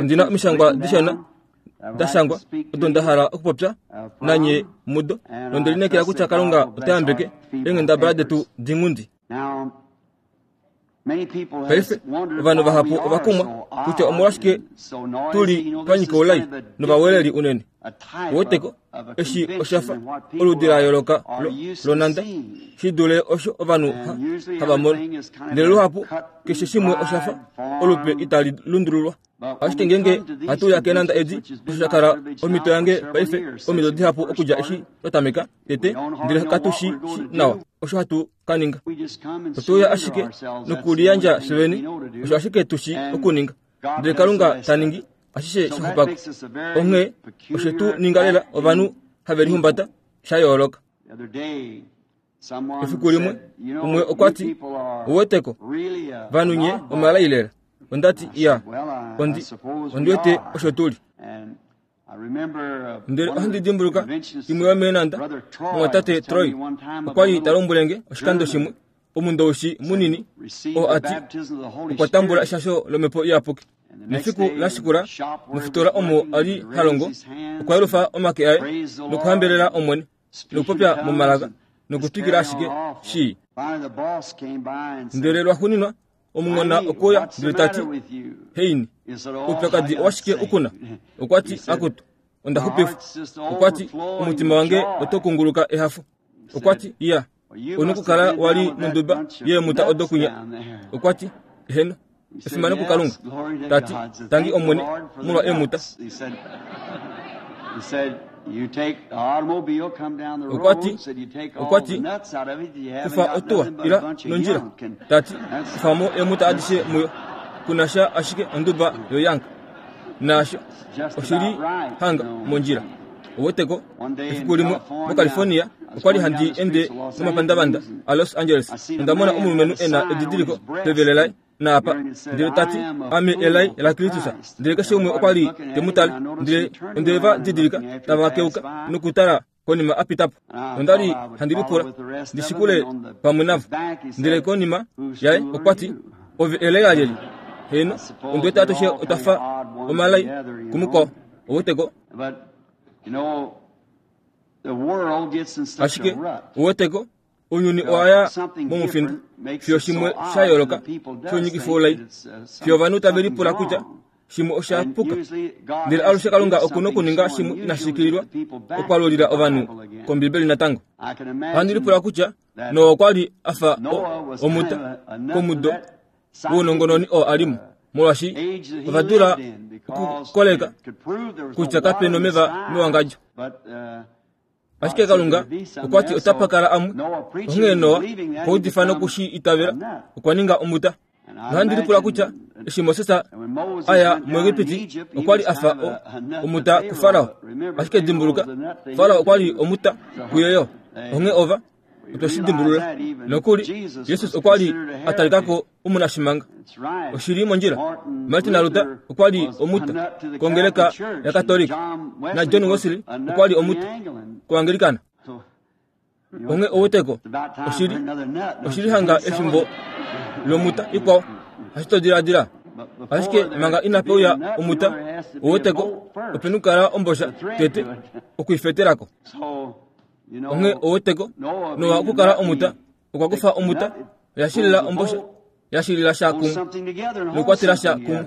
Ondi na omishangwa dishona da shangwa odo nda hala okupopya nanye mudo, nonde lineekela kutya Kalunga ota yambeke eenghendabala detu dinghundi. Paife, ovanhu vahapu ova kumwa kutya omolwashike tu li twa nyika oulai novaweleli unene. Ouweteko, eshi osha fa oludi la yooloka lonanda shi dule osho ovanhu hava mono. Ndele luhapu keshe shimwe osha fa olupe itali lundululwa. Ashike ngeenge hatu uya keenanda edi, osho sha kala omhito yange paife omido dihapu okudja eshi twa tameka tete, ndele katu shi shi nawa osho hatu ka ninga. Otwe uya ashike nokuliyandja fye vene, osho ashike tu shi okuninga. Ndele Kalunga ta ningi ashishe sha xupa ko. Onghee oshe tu ninga lela ovanhu have lihumbata sha yooloka. Efiku limwe, umwe okwa ti, Ouweteko, vanhu nye omalai lela. Onda ti, Iya, ondi, ondi wete osho tu li. Ndele ohandi dimbuluka imwe yomeenanda, mumwatate Troy okwa li ta lombwele nge oshikando shimwe, omundoushi munini oo a ti okwa tambula eshasho lomhepo iyapuki. Nefiku la shikula, mofitola omo a li ha longo, okwa yelufa omake aye nokuhambelela Omwene nokupopya momalaka nokutwikila ashike shii. Ndele lwaxuuninwa omunghona okwe uya ndele ta ti, Heini, oupyakadi owashike u ku na? Okwa ti, Akutu, onda xupifwa. Okwa ti, Omutima wange oto kunguluka ehafo. Okwa ti, Iya, ou na okukala wa li monduba yeemuta odo kwinya. Okwa ti, Eheno, efimano kuKalunga. Ta ti, Tangi Omwene molwa eemuta. Okwa ti, okwa ti, Kufa otuwa, ila nondjila. Ta ti, Kufa mo eemuta adishe muyo. Ku na sha ashike onduba yoyank. Naasho oshi li hanga mondjila. Ouweteko, efiku limwe moCalifornia, okwa li handi ende momapandavanda aLos Angeles, onda mona omulumenhu e na edidiliko pevele laye, naapa, ndele ta ti, Ame elai laKristus. Ndele keshe umwe okwa li te mu tale, ndele onde va didilika tava keuka nokutala konima a pita po. Onda li handi lipula ndi shikule pamwe navo. Ndele konima yaye okwa ti, Ove elai lalyelye? Heeno, ondi wete atushe otwa fa omalai kumukwao. Ouweteko? Ashike, ouweteko, ounyuni owa ya momufinda fiyo shimwe sha yooloka shounyikifa oulai, fiyo ovanhu tave lipula kutya shimwe osha puka. Ndele alushe Kalunga oku nokuninga shimwe inashi shikililwa okwalulila ovanhu kOmbibeli natango. Ohandi lipula kutya Noa okwa li a fa omuta komudo wounongononi oo a li mo, molwaashi ova dula okukoleka kutya kape nomeva mewangadjo. Ashike Kalunga okwa ti otapa kala amwe. Onghee Noa okwa udifa noku shi itavela, okwa ninga omuta. Nohandi lipula kutya eshi Moses a ya muEgipiti okwa li a fa omuta kuFarao. Ashike dimbuluka, Farao okwa li omuta kuye yo. Onghee ova otwe shi dimbulula. Nokuli, Jesus okwa li a talika ko omunashimanga. Oshi li mondjila. Martin Luther okwa li omuta kongeleka yaKatolika, naJohn Wesley okwa li omuta koAngelikana. Onghee ouweteko, oshi li, oshi li hanga efimbo lomuta ikwao, hashi to diladila. Ashike manga inape uya omuta, ouweteko, ope nokukala ombosha tete okuifetela ko. Onghee ouweteko, Noa okukala omuta, okwa kufa omuta, oya shilila ombosha, ya shilila sha kumwe nokukwatela sha kumwe.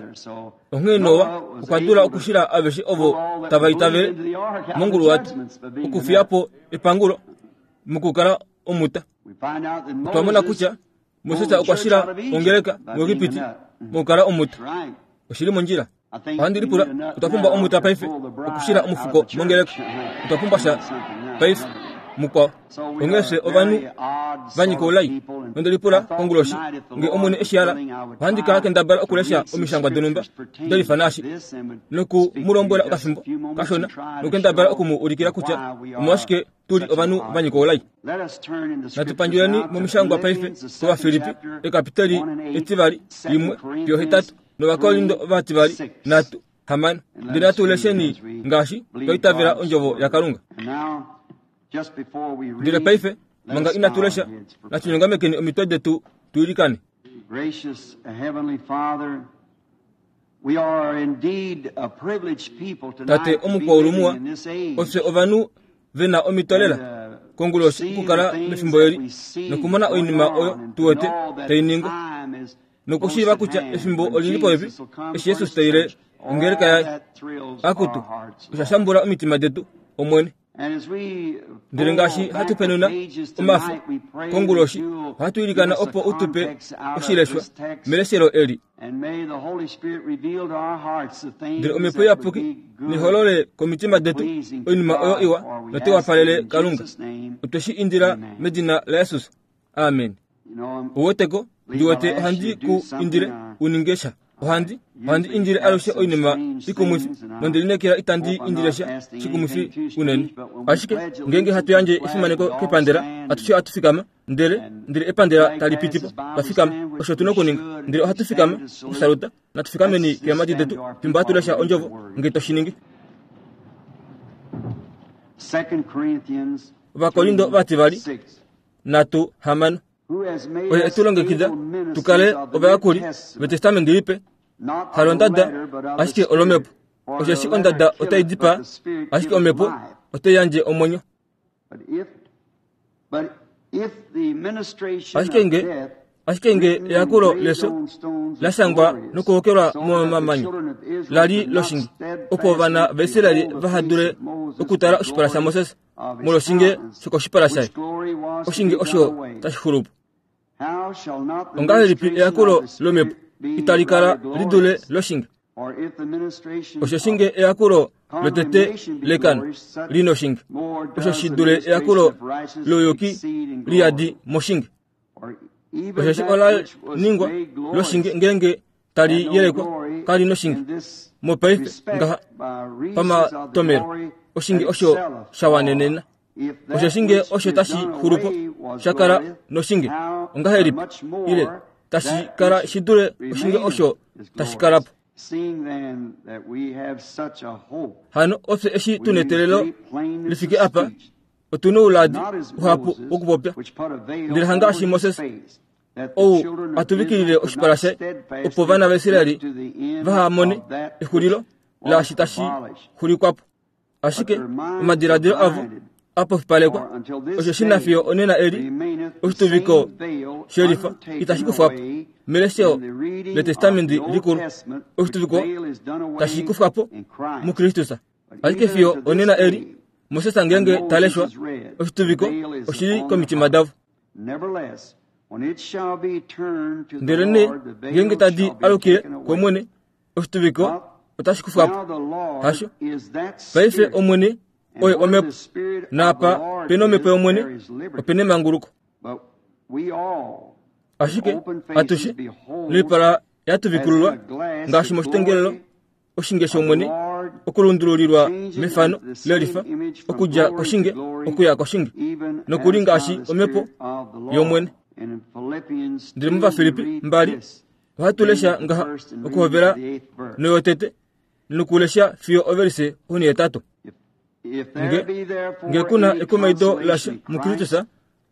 Onghee Noa okwa dula okushila aveshe ovo tava itavele monguluwato okufiya po epangulo mokukala omuta. Otwa mona kutya Moses okwa shila ongeleka muEgipiti mokukala omuta. Oshi li mondjila. Ohandi lipula, otwa pumbwa omuta paife okushila omufuko mongeleka. Otwa pumbwa sha paife, mukwao. Onghee fye ovanhu va nyika oulai. Nonde lipula konguloshi, nge Omwene eshi hala, ohandi ka kendabala okulesha omishangwa donhumba delifa naashi, noku mu lombwela okafimbo kashona, nokukendabala oku mu ulikila kutya omolwashike tu li ovanhu va nyika oulai. Natu pandjuleni momishangwa paife kOvafilippi, ekapiteli etivali, limwe fiyo hetatu. nOvakorindo ovativali nhatu hamano. Ndele natu lesheni ngaashi twa itavela ondjovo yaKalunga. Ndele paife manga inatu lesha, natu nyongamekeni omitwe detu tu ilikane. Tate omukwaulu muwa, ofye ovanhu ve na omhito lela konguloshi okukala mefimbo eli nokumona oinima oyo tu wete tai ningwa nokushiiva kutya efimbo oli li popepi eshi Jesus ta ile ongeleka yaye. Akutu, osha shambula omitima detu, Omwene. Ndele ngaashi hatu penuna omafo konguloshi, ohatu ilikana opo u tu pe oshileshwa meleshelo eli. Ndele Omhepo Iyapuki niholole komitima detu oinima oyo iwa notai wapalele Kalunga. Otwe shi indila medina laJesus. Amen. Ouweteko, ndi wete ohandi ku indile u ninge sha. Ohandi, ohandi indile alushe oinima ikumwifi, nonde lineekela itandi indile sha shikumwifi unene. Ashike ngeenge hatu yandje efimaneko kepandela, atushe ohatu fikama, ndele, ndele epandela tali piti po, twa fikama. Osho tu na okuninga. Ndele ohatu fikama, okusaluta. Natu fikameni keemhadi detu fimbo hatu lesha ondjovo, nge to shi ningi. Ovakorinto vativali nhatu hamano. Oye e tu longekida tu kale ovayakuli vetestamenti lipe, halondada, ashike olomhepo. Osheshi ondada otai dipaa, ashike omhepo otai yandje omwenyo. Ashike nge ashike nge eyakulo lefyo la shangwa nokuhokelwa momamanya la li loshinge, opo ovana vaIsraeli vaha dule okutala oshipala shaMoses molwoshinge shokoshipala shaye, oshinge osho tashi xulu po. Ongahelipi eyakulo lomhepo itali kala li dule loshinge? Osheshi nge eyakulo lotete lekano li noshinge, osho shi dule eyakulo louyuki li yadi moshinge. Osheshi ola ningwa loshinge ngeenge tali yelekwa kali noshinge mopaife ngaha pamatomelo oshinge osho sha wanenena osheshi nge osho tashi xulu po sha kala noshinge ongahelipi ile tashi kala shi dule oshinge osho tashi kala po hano ofye eshi tu neteelelo li fike apa otu nouladi uhapu wokupopya ndele hangaashi Moses ou a tuvikilile oshipala shaye opo ovana vaIsraeli vaha mone exulilo laashi tashi xulikwa po. Ashike omadiladilo avo a pofipalekwa, osho shi na fiyo onena eli oshituviko shelifa itashi kufwa po. Melesho lEtestamenti Likulu, oshituviko tashi kufwa po muKristus. Ashike fiyo onena eli, Moses ngeenge ta leshwa, oshituviko oshi li komitima davo. Ndelenee ngeenge tadi alukile kOmwene, oshituviko otashi kufwa po. Hasho. Paife Omwene oye Omhepo, naapa pe nOmhepo yOmwene, ope nemanguluko. Ashike atushe noipala ya tuvikululwa ngaashi moshitengelelo oshinge shOmwene okulundululilwa mefano lelifa okudja koshinge okuya koshinge, nokuli ngaashi Omhepo yOmwene. Ndele mOvafilippi mbali ohatu lesha ngaha okuhovela noyotete nokulesha fiyo ovelise onhetatu. Nge, nge ku na ekumaido lasha muKristus,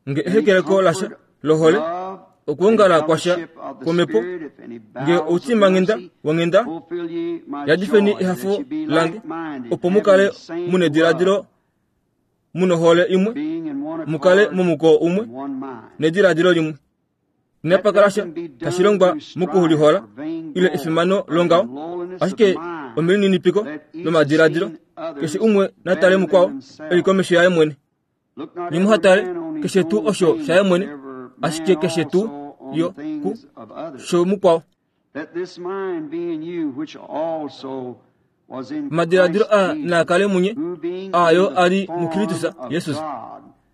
nge ehekeleko lasha lohole, okwoongala kwasha kwomhepo, nge outimanghenda wonghenda, yadifeni ehafo lange, opo mu kale mu nediladilo mu nohole imwe, mu kale momukoo umwe nediladilo limwe. Inapa kala sha tashi longwa mokulihola ile efimano longaho, ashike omelininipiko lomadiladilo, keshe umwe na tale mukwao e li komesho yaye mwene. Nye muha tale keshe tuu osho shaye mwene, ashike keshe tuu yo ku shomukwao. Omadiladilo aa naa kale munye, aa yo a li muKristus Jesus.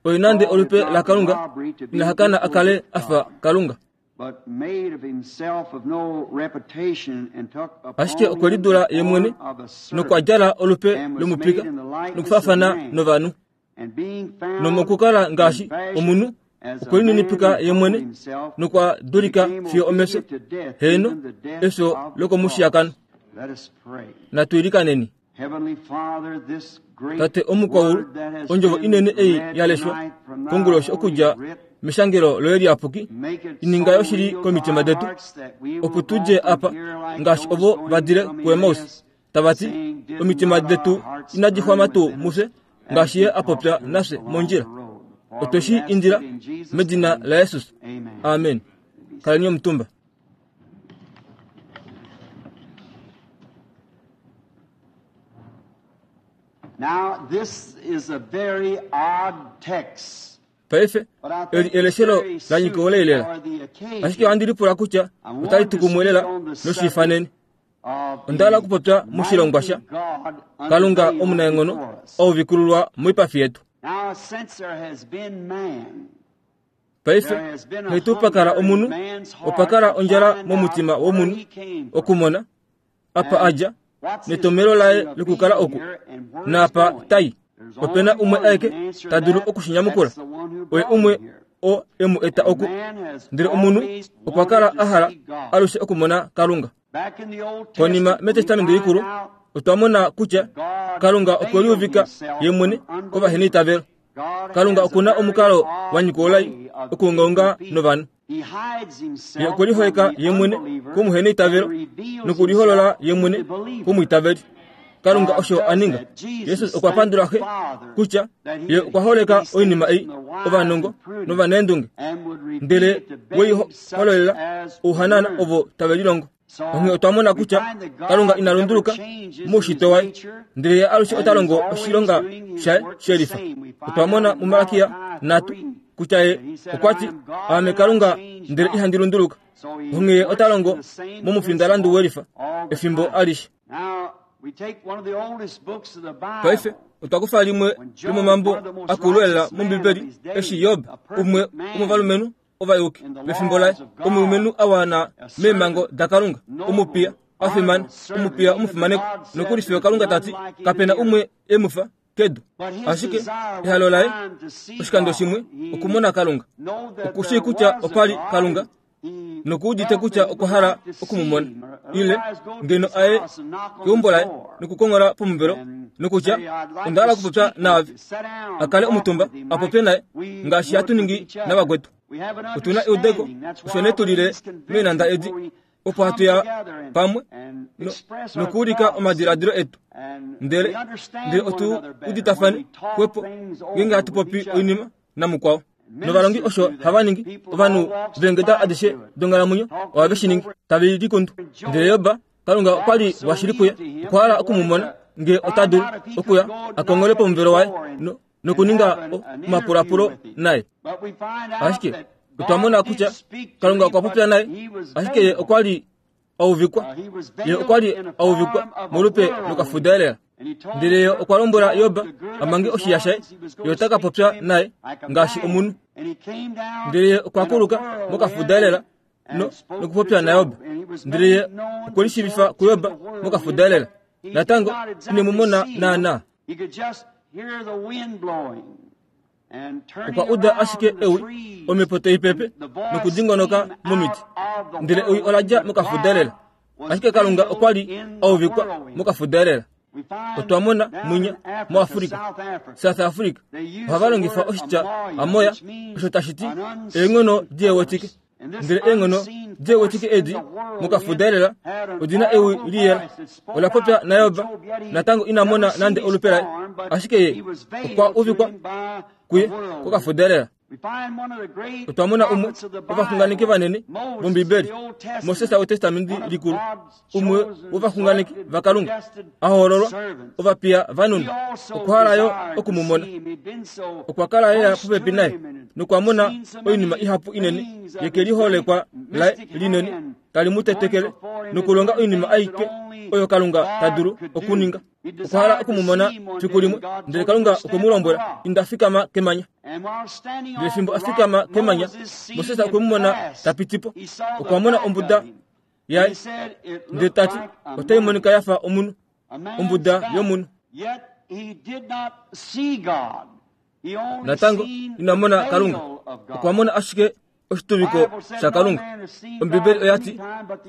Oye nande olupe laKalunga, ina hakana a kale a fa Kalunga. Ashike okwe lidula ye mwene nokwa djala olupe lomupika nokufaafana novanhu. Nomokukala ngaashi omunhu, okwe lininipika ye mwene nokwa dulika fiyo omefyo, heeno, efyo lokomushiyakano. Natu ilikaneni. Tate omukwaulu, ondjovo inene ei ya leshwa konguloshi okudja meshangelo loye liyapuki ininga yoshili komitima detu opo tu dje apa ngaashi ovo va dile kuEmaus tava ti omitima detu inadi xwama tuu mufye ngaashi ye a popya nafye mondjila otwe shi indila medina laJesus amen kaleni omutumba Now, this is a very odd text. Paife, eli eleshelo la nyika oleilela. Ashike ohandi lipula kutya otali tu kumwe lela noshiifanene. Onda hala okupopya moshilongwa sha Kalunga omunaenghono auvikululwa moipafi yetu. Paife, nghee tuu pa kala omunhu, opa kala ondjala momutima womunhu okumona apa a dja, netomhelo laye lokukala oku, naapa ta i. Ope na umwe aeke ta dulu oku shi nyamukula, oye umwe oo e mu eta oku. Ndele omunhu okwa kala a hala alushe okumona Kalunga. Konima mEtestamenti Likulu, otwa mona kutya Kalunga okwe liuvika ye mwene kovaheneitavelo. Kalunga oku na omukalo wa nyika oulai okuungaunga novanhu. Ye okwe liholeka ye mwene komuheneitavelo nokuliholola ye mwene komwiitaveli. Kalunga osho a ninga. Jesus okwa pandula Xe kutya ye okwa holeka oinima ei ovanongo novanaendunge, ndele we i hololela ouhanana ovo tave lilongo. Onghee otwa mona kutya Kalunga ina lunduluka moushitwe waye, ndele ye alushe ota longo oshilonga shaye shelifa. Otwa mona muMalakia 3 kutya ye okwa ti, Aame Kalunga ndele ihandi lunduluka. Onghee ye ota longo momufindalandu welifa efimbo alishe. Paife otwa kufa limwe lomomambo akulu elela mOmbibeli eshi Job, umwe womovalumenhu ovayuki mefimbo laye, omulumenhu a wana meemhango daKalunga, omupiya a fimana, omupiya omufimanekwa, nokuli fiyo Kalunga ta ti, Kape na umwe e mu fa kedu. Ashike ehalo laye oshikando shimwe okumona Kalunga. Oku shii kutya opa li Kalunga noku udite kutya okwa hala oku mu mona. Ile ngeno aye keumbo laye nokukonghola pomuvelo nokutya, Onda hala okupopya naave. A kale omutumba a popye naye ngaashi hatu ningi navakwetu. Otu na eudeko, osho nee tu lile meenhanda edi opo hatu ya pamwe nokuulika omadiladilo etu ndele ndele otu uditafane xwepo ngeenge hatu popi oinima namukwao. Novalongi osho hava ningi, ovanhu veengeda adishe donghalamwenyo ohave shi ningi, tave likundu. Ndele Job, Kalunga okwa li washili kuye, okwa hala oku mu mona ngee ota dulu okuya a kongole pomuvelo waye no, nokuninga omapulapulo naye. Ashike otwa mona kutya Kalunga okwa popya naye, ashike ye okwa li a uvikwa. Ye okwa li a uvikwa molupe lokafuda elela. Ndele ye okwa lombwela Job a mange oshiya shaye, ye ota ka popya naye ngaashi omunhu. Ndele ye okwa kuluka mokafuda elela no, nokupopya naJob. Ndele ye okwe lishiivifa kuJob mokafuda elela. Natango ine mu mona naanaa. Okwa uda ashike ewi, omhepo tai pepe nokudingonoka momiti, ndele ewi ola dja mokafuda elela. Ashike Kalunga okwa li a uvikwa mokafuda elela. Otwa mona mwinya moAfrika, South Africa, ohava longifa oshitya amoya, osho tashi ti eenghono diewetike. Ndele eenghono diewetike edi mokafuda elela odi na ewi liyela. Ola popya naJob, natango ina mona nande olupe laye, ashike ye okwa uvikwa kuye kokafuda elela. Otwa mona umwe wovaxunganeki vanene vOmbibeli, Moses wEtestamenti Likulu, umwe wovaxunganeki vaKalunga a hoololwa, ovapiya vaNun. Okwa hala yo oku mu mona. Okwa kala lela popepi naye nokwa mona oinima ihapu inene yekeliholekwa laye linene tali mu tetekele nokulonga oinima aike oyo Kalunga ta dulu okuninga. Okwa hala oku mu mona fiku limwe, ndele Kalunga okwe mu lombwela, Inda fikama kemanya. Ndele fimbo a fikama kemanya, Moses okwe mu mona ta piti po. Okwa mona ombuda yaye, ndele ta ti, Otai monika ya fa omunhu, ombuda yomunhu. Natango ina mona Kalunga, okwa mona ashike oshituviko shaKalunga. Ombibeli oya ti,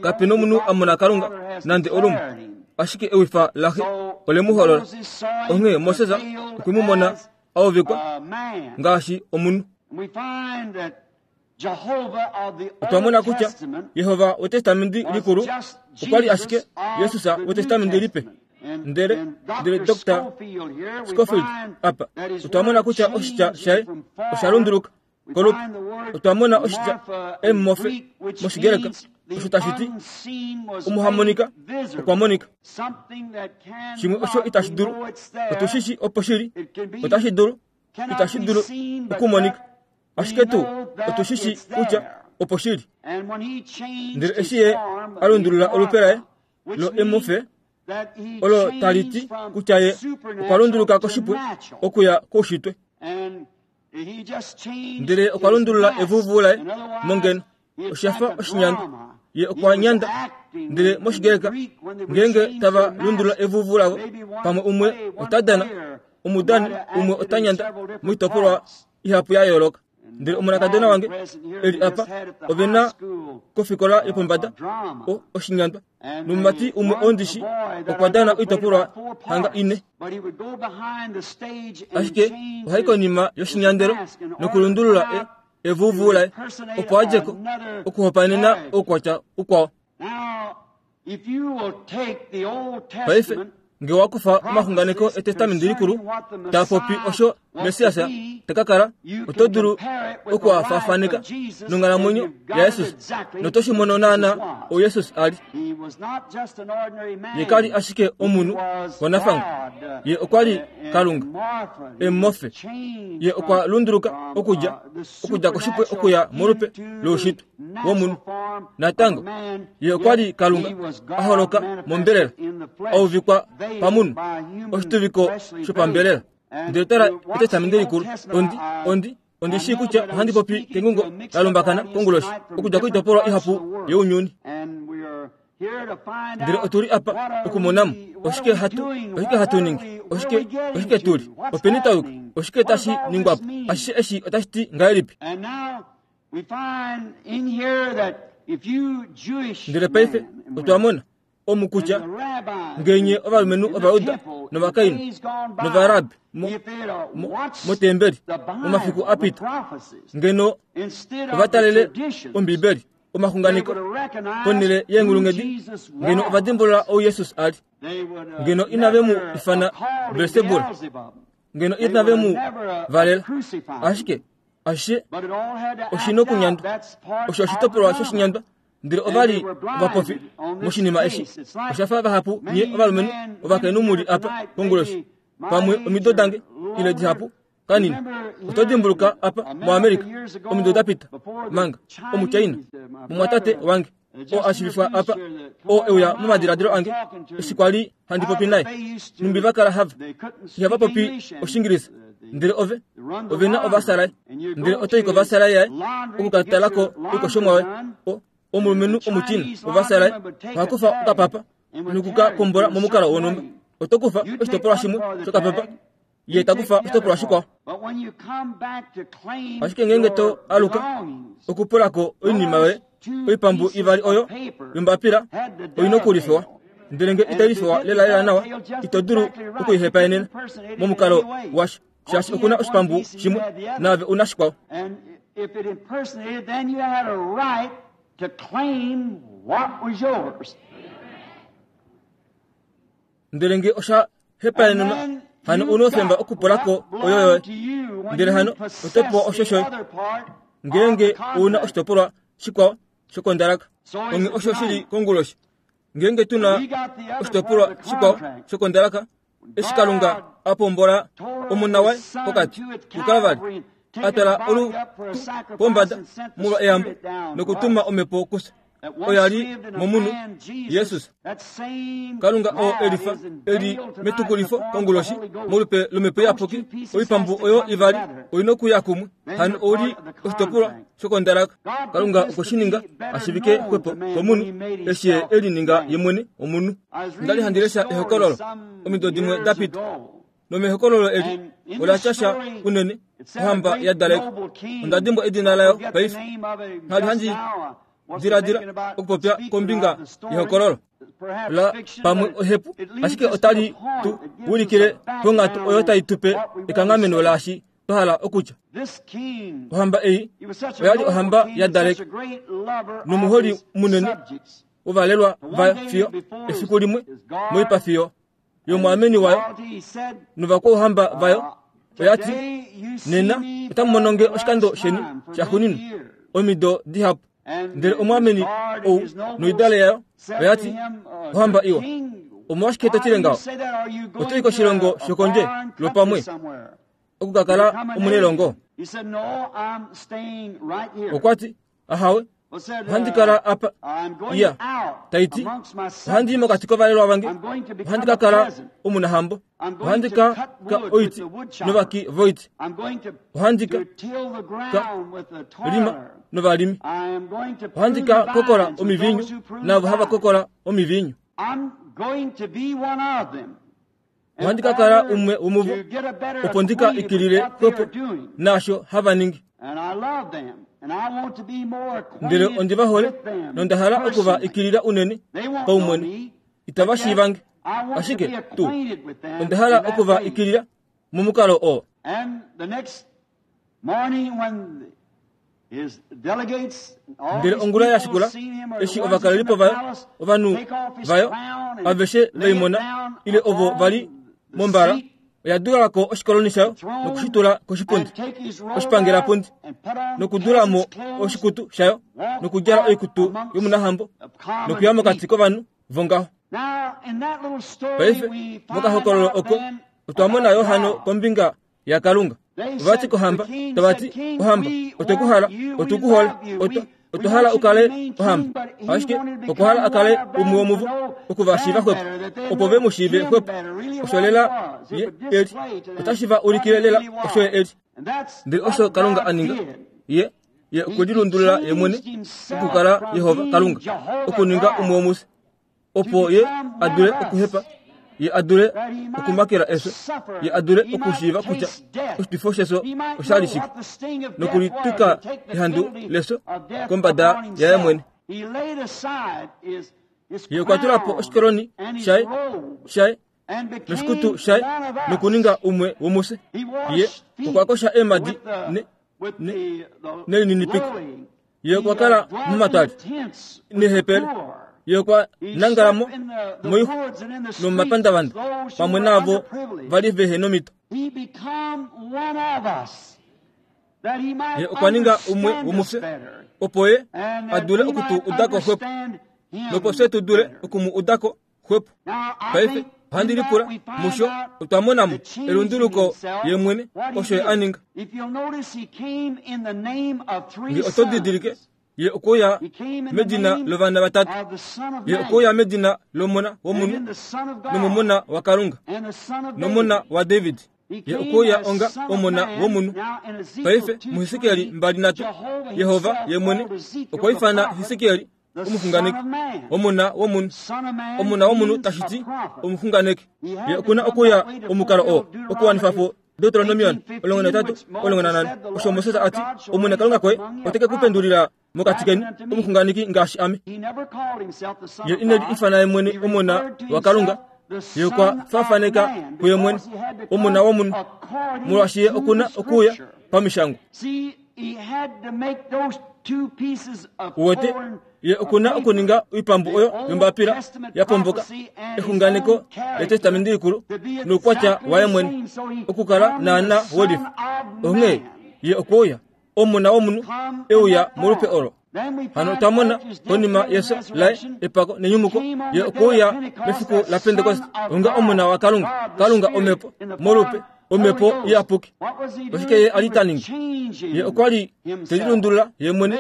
Kape nomunhu a mona Kalunga nande olumwe, ashike ewifa laXe ole mu holola. Onghee Moses okwe mu mona a uvikwa ngaashi omunhu. Otwa mona kutya Jehova wEtestamenti Likulu okwa li ashike Jesus wEtestamenti Lipe. Ndele, ndele Dr. Scofield apa, otwa mona kutya oshitya shaye osha lunduluka kolupe. Otwa mona oshitya emmofe mOshigreka, osho tashi ti omuhamonika okwa monika. Shimwe osho itashi dulu, otu shi shi opo shili, otashi dulu, itashi dulu okumonika. Ashike tuu otu shi shi kutya opo shi li. Ndele eshi ye a lundulula olupe laye lo emofe, olo tali ti kutya ye okwa lunduluka koshipwe okuya koushitwe. Ndele okwa lundulula evuvu laye mongeno. Osha fa oshinyandwa. Ye okwa nyanda. Ndele mOshigreka, ngeenge tava lundulula evuvu lavo, pamwe umwe ota dana, omudani umwe ota nyanda moitopolwa ihapu ya yooloka. Ndele omonakadona wange e li apa, ove na kofikola yopombada o, oshinyandwa. Nomumati umwe ondishi okwa dana oitopolwa hanga ine. Ashike ohai konima yoshinyandelo nokulundulula e, evuvu laye opo a dje ko okuhopaenena oukwatya ukwao. Paife, nge wa kufa omaxunganeko Etestamenti Likulu taa popi osho Messias ta ka kala, oto dulu oku a faafaneka nonghalamwenyo yaJesus, noto shi mono naanaa ou Jesus a li. Ye ka li ashike omunhu wanafangwa, ye okwa li Kalunga, emofe. Ye okwa lunduluka okudja okudja koshipwe okuya molupe loushitwe womunhu. Natango, ye okwa li Kalunga a holoka mombelela, a uvikwa pamunhu, oshituviko shopambelela. Ndele tala Etestamenti Likulu, ondi, ondi, ondi shii kutya ohandi popi kengungo la lumbakana konguloshi, okudja koitopolwa ihapu younyuni. Ndele otu li apa okumona mo oshike hatu, oshike hatu ningi, oshike, oshike tu li, openi twa yuka, oshike tashi ningwa po, ashishe eshi otashi ti ngahelipi. Ndele paife otwa mona omu kutya ngenye ovalumenhu Ovajuda novakainhu nOvarabi motembeli momafiku a pita ngeno ova talele Ombibeli omaxunganeko ponhele yeenghulunghedi ngeno ova dimbulula ou Jesus a li ngeno inave mu ifana Belsebul ngeno inave mu valela ashike ashishe oshi nokunyandwa osho oshitopolwa shoshinyandwa ndele ova li ovapofi moshinima eshi osha fa vahapu nye ovalumenhu ovakainhu mu li apa konguloshi pamwe omido dange ile dihapu kanini oto dimbuluka apa moAmerica omido da pita manga omuchina mumwatate wange oo a shivifwa apa oo e uya momadiladilo ange eshi kwa li handi popi naye nhumbi va kala hava ihava popi Oshingilisa ndele ove ove na ovasalai ndele oto i kovasalai yaye oku ka tala ko oikoshomwa yoye omulumenhu omuchina ovasalai oha kufa okapapa noku ka pombola momukalo wonhumba oto kufa oshitopolwa shimwe shokapapa ye ta kufa oshitopolwa shikwao. Ashike ngeenge to aluka okupula ko oinima yoye, oipambu ivali oyo yombapila oi na okulifewa. Ndele nge itai lifewa lelalela nawa, ito dulu okuihepaenena momukalo washo, shaashi oku na oshipambu shimwe naave u na shikwao. Ndele nge osha hepaenenwa, hano u noufemba okupula ko oyo yoye. Ndele hano oto pewa osho shoye ngeenge u na oshitopolwa shikwao shokondalaka. Onghee osho shi li konguloshi. Ngeenge tu na oshitopolwa shikwao shokondalaka, eshi Kalunga a pombola omona waye pokati kuKalvari, a twala olutu pombada molwa eyambo nokutuma omhepo kufye. oya li momunhu Jesus. Kalunga oo e lifa e li metukulifo konguloshi molupe lomhepo iyapuki, oipambu oyo ivali oi nokuya kumwe, hano ou li oshitopolwa shokondalaka. Kalunga okwe shi ninga a shivike xwepo komunhu eshi ye e lininga ye mwene omunhu. Onda li handi lesha ehokololo omido dimwe da pita. Nomehokololo eli ola tya sha unene ohamba ya daleka. Onda dimbwa edina layo paife. Ngha li handi diladila okupopya kombinga yehokololo la pamwe ohepu, ashike otali tu ulikile ponghatu oyo tai tu pe ekanghameno laashi. twa hala okutya. Ohamba ei oya li ohamba ya daleka nomuholi munene wovalelwa vayo fiyo efiku limwe moipafi yo yomwaameni wayo novakwauhamba vayo oya ti, Nena otamu mono nge oshikando sheni shaxuuninwa omido dihapu. Ndele omwaameni ou noidale yayo oya ti, Ohamba iwa, omolwashike to tile ngaho? Oto i koshilongo shokondje lwopamwe oku ka kala omunelongo? Okwa ti, Ahawe, ohandi kala apa. Iya, tai ti, ohandi i mokati kovalelwa vange, ohandi ka kala omunahambo, ohandi ka ka oiti novaki voiti, ohandi ka ka lima novalimi, ohandi ka kokola omivinyu naavo hava kokola omivinyu. Ohandi ka kala umwe womuvo opo ndi ka ikilile xwepo naasho hava ningi. Ndele ondi va hole nonda hala oku va ikilila unene paumwene. Itava shiiva nge, ashike tu onda hala oku va ikilila momukalo oo. Ndele ongula ya shikula, eshi ovakalelipo vayo, ovanhu vayo aveshe ve i mona, ile ovo va li mombala, oya dula ko oshikoloni shayo noku shi tula koshipundi, oshipangelapundi, nokudula mo oshikutu shayo nokudjala oikutu yomunahambo nokuya mokati kovanhu vongaho. Paife, mokahokololo oko, otwa mona yo hano kombinga yaKalunga. Ova ti kohamba, tava ti, Ohamba, otwe ku hala, otu ku hole, otwa, otwa hala u kale ohamba. Ashike okwa hala a kale umwe womuvo, oku va shiiva xwepo, opo ve mu shiive xwepo. Osho lela ye e li. Otashi va ulikile lela osho ye e li. Ndele osho Kalunga a ninga, Ye, Ye okwe lilundulula Ye mwene okukala Jehova Kalunga, okuninga umwe womufye. opo ye a dule okuhepa, ye a dule okumakela efyo, ye a dule okushiiva kutya oshitwifo shefyo osha li shike, nokulitwika ehandu lefyo kombada yaye mwene. Ye okwa tula po oshikoroni shaye, shaye noshikutu shaye nokuninga umwe womufye. Ye okwa kosha eemhadi ne, ne, nelininipiko. Ye okwa kala momatwali nehepele. Ye okwa nangala mo moixwa nomomapandavanda pamwe naavo va li vehe nomito. Ye okwa ninga umwe womufye opo ye a dule oku tu uda ko xwepo nopo fye tu dule oku mu uda ko xwepo. Paife ohandi lipula musho otwa mona mo elunduluko ye mwene osho ye a ninga. Nge oto didilike, ye okwe uya medina lovana vatatu. Ye okwe uya medina lOmona womunhu, nomOmona waKalunga, nOmona waDavid. Ye okwe uya onga Omona womunhu. Paife, muHesekiel 23, Jehova ye mwene okwa ifana Hesekiel omuxunganeki, omona womunhu. Omona womunhu tashi ti omuxunganeki. Ye oku na okuya omukalo oo okuwanifa po Deuteronomion 13, 14, osho Moses a ti, Omwene Kalunga koye ote ke ku pendulila mokati keni omuxunganeki ngaashi ame. Ye ine li ifana ye mwene Omona waKalunga, ye okwa faafaneka kuye mwene Omona womunhu, molwaashi ye oku na okuuya pamishangwa. Uwete, ye oku na okuninga oipambu oyo yombapila ya pomboka, exunganeko lEtestamenti Likulu noukwatya waye mwene, okukala naana welifa. Onghee ye okwe uya, Omona womunhu, e uya molupe olo. Hano otwa mona, konima yefyo laye, epako nenyumuko, ye okwe uya mefiku laPentekoste onga Omona waKalunga, Kalunga Omhepo, molupe Omhepo Iyapuki. Oshike ye a li ta ningi? Ye okwa li te lilundulula ye mwene,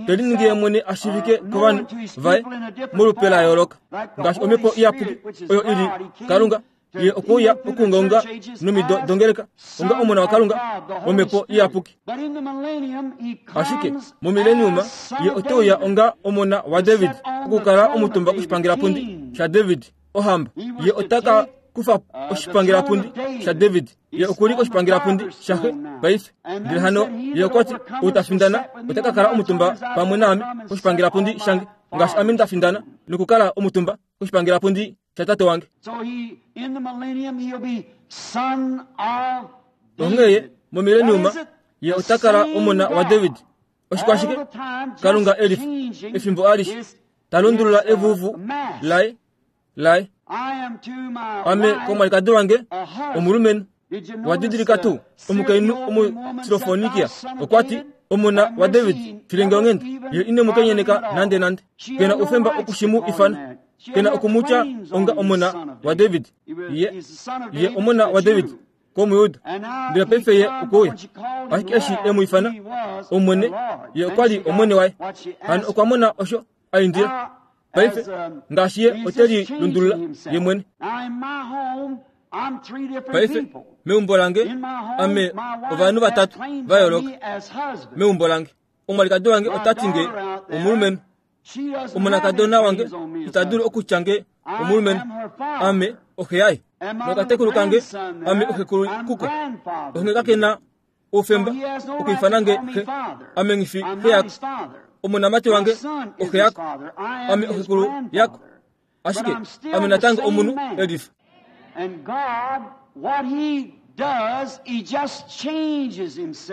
te liningi ye mwene a shiivike kovanhu vaye molupe la yooloka, ngaashi Omhepo Iyapuki oyo i li Kalunga. Ye okwe uya okuungaunga nomido dongeleka onga Omona waKalunga, Omhepo Iyapuki. Ashike momileniuma ye ote uya onga Omona waDavid, okukala omutumba koshipangelapundi shaDavid, ohamba. Ye ota ka kufa oshipangelapundi shaDavid. Ye oku li koshipangelapundi shaxe paife. Ndele hano ye okwa ti, Ou ta findana ota ka kala omutumba pamwe naame koshipangelapundi shange, ngaashi ame nda findana nokukala omutumba koshipangelapundi shatate wange. Onghee ye Momileniuma ye ota kala omona waDavid. Oshikwashike? Kalunga e lifa efimbo alishe ta lundulula evuvu laye laye. Ame komwalikadi wange omulumenhu. Wa didilika tuu omukainhu Omusilofonikia okwa ti, Omona waDavid, filenge onghenda. Ye ine mu kenyeneka nandenande. Ke na oufemba oku shi mu ifana. Ke na oku mu tya onga omona waDavid. Ye, ye omona waDavid kOmuyuda. Ndele paife ye okwe uya. Ashike eshi e mu ifana Omwene, ye okwa li Omwene waye. Hano okwa mona osho a indila. Paife, ngaashi ye ote li lundulula ye mwene. Paife, meumbo lange, ame ovanhu vatatu va yooloka. Meumbo lange, omwalikadi wange ota ti nge omulumenhu. Omonakadona wange ita dulu okutya nge omulumenhu. Ame oxe yaye. Nokatekulu kange, ame oxekulu kuko. Onghee kake na oufemba okwiifana nge xe. Ame nghi fi xe yako. Omonamati wange oxe yako. Ame oxekulu yako. Ashike ame natango omunhu e lifa.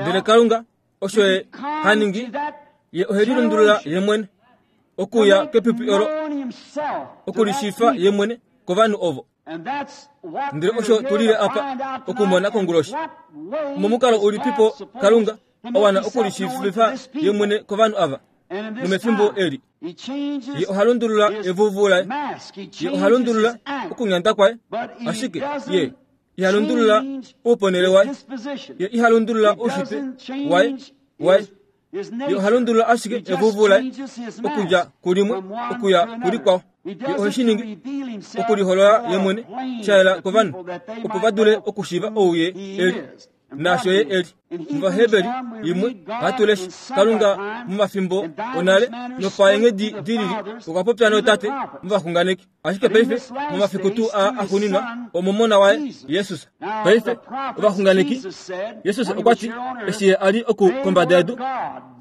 Ndele Kalunga osho ye ha ningi, ye ohe lilundulula ye mwene okuya kepipi olo, okulishiifa ye mwene kovanhu ovo. Ndele osho tu lile apa okumona konguloshi. Omomukalo ulipipo Kalunga a wana okulishiivifa ye mwene kovanhu ava nomefimbo eli? Ye oha lundulula evuvu laye, ye oha lundulula okunyanda kwaye, ashike ye iha lundulula ouponele waye, ye iha lundulula oushitwe waye waye. Ye oha lundulula ashike evuvu laye okudja kulimwe okuya kulikwao. Ye ohe shi ningi okuliholola ye mwene sha yela kovanhu opo va dule okushiiva ou ye e li naasho ye e li. MOvaheberi imwe ohatu lesha Kalunga momafimbo onale nopaenghedi di lili okwa popya nootate movaxunganeki. Ashike paife, momafiku tuu aa axuuninwa, omOmona waye, Jesus. Paife, ovaxunganeki, Jesus okwa ti, eshi Ye a li oku kombada yedu,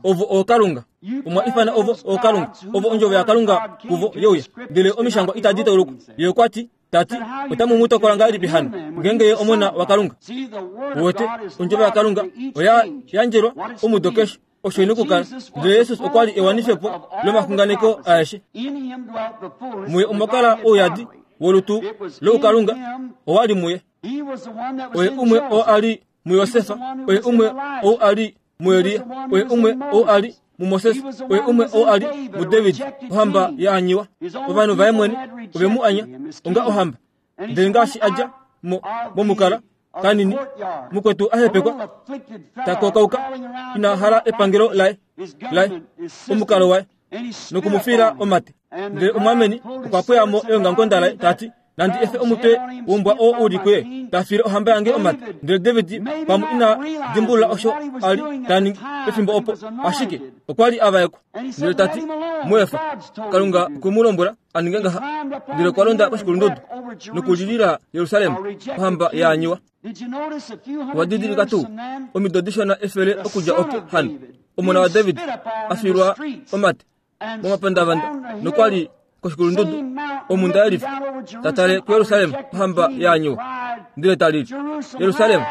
Ovo ookalunga. Omwa ifana ovo ookalunga. Ovo Ondjovo yaKalunga kuvo ye uya. Ndele Omishangwa itadi taulukwa. Ye okwa ti, ta ti, Otamu mu tokola ngahelipi hano, ngeenge Ye Omona waKalunga? Uwete, Ondjovo yaKalunga oya yandjelwa omudo keshe. Osho ina okukala. Ndele Jesus okwa li ewanifepo lomaxunganeko aeshe. Muye omwa kala ouyadi wolutu loukalunga, owa li muye. Oye umwe oo a li muJosef, oye umwe ou a li muElia, oye umwe ou a li muMoses, oye umwe ou a li muDavid, ohamba ya anyiwa. Ovanhu vaye mwene ove mu anya onga ohamba. Ndele ngaashi a dja mo momukala kanini, mukwetu a hepekwa, ta kokauka, ina hala epangelo laye, laye, omukalo waye, noku mu fiila omate. Ndele omwaameni okwa pweya mo eongamukonda laye, ta ti, Nandi efe omutwe wombwa oo u li kuye, ta fiile ohamba yange omate. Ndele David pamwe ina dimbulula osho a li ta ningi pefimbo opo, ashike okwa li a vaekwa. Ndele ta ti, Mu efa, Kalunga okwe mu lombwela a ninge ngaha. Ndele okwa londa koshikulundudu nokulilila Jerusalem, ohamba ya anyiwa. Owa didilika tuu omido dishona efele okudja opo hano omona waDavid a fiilwa omate momapandavanda nokwa li koshikulundudu omhunda yelifa ta tale kuJerusalem ohamba ya anyiwa. Ndele ta lili, Jerusalem,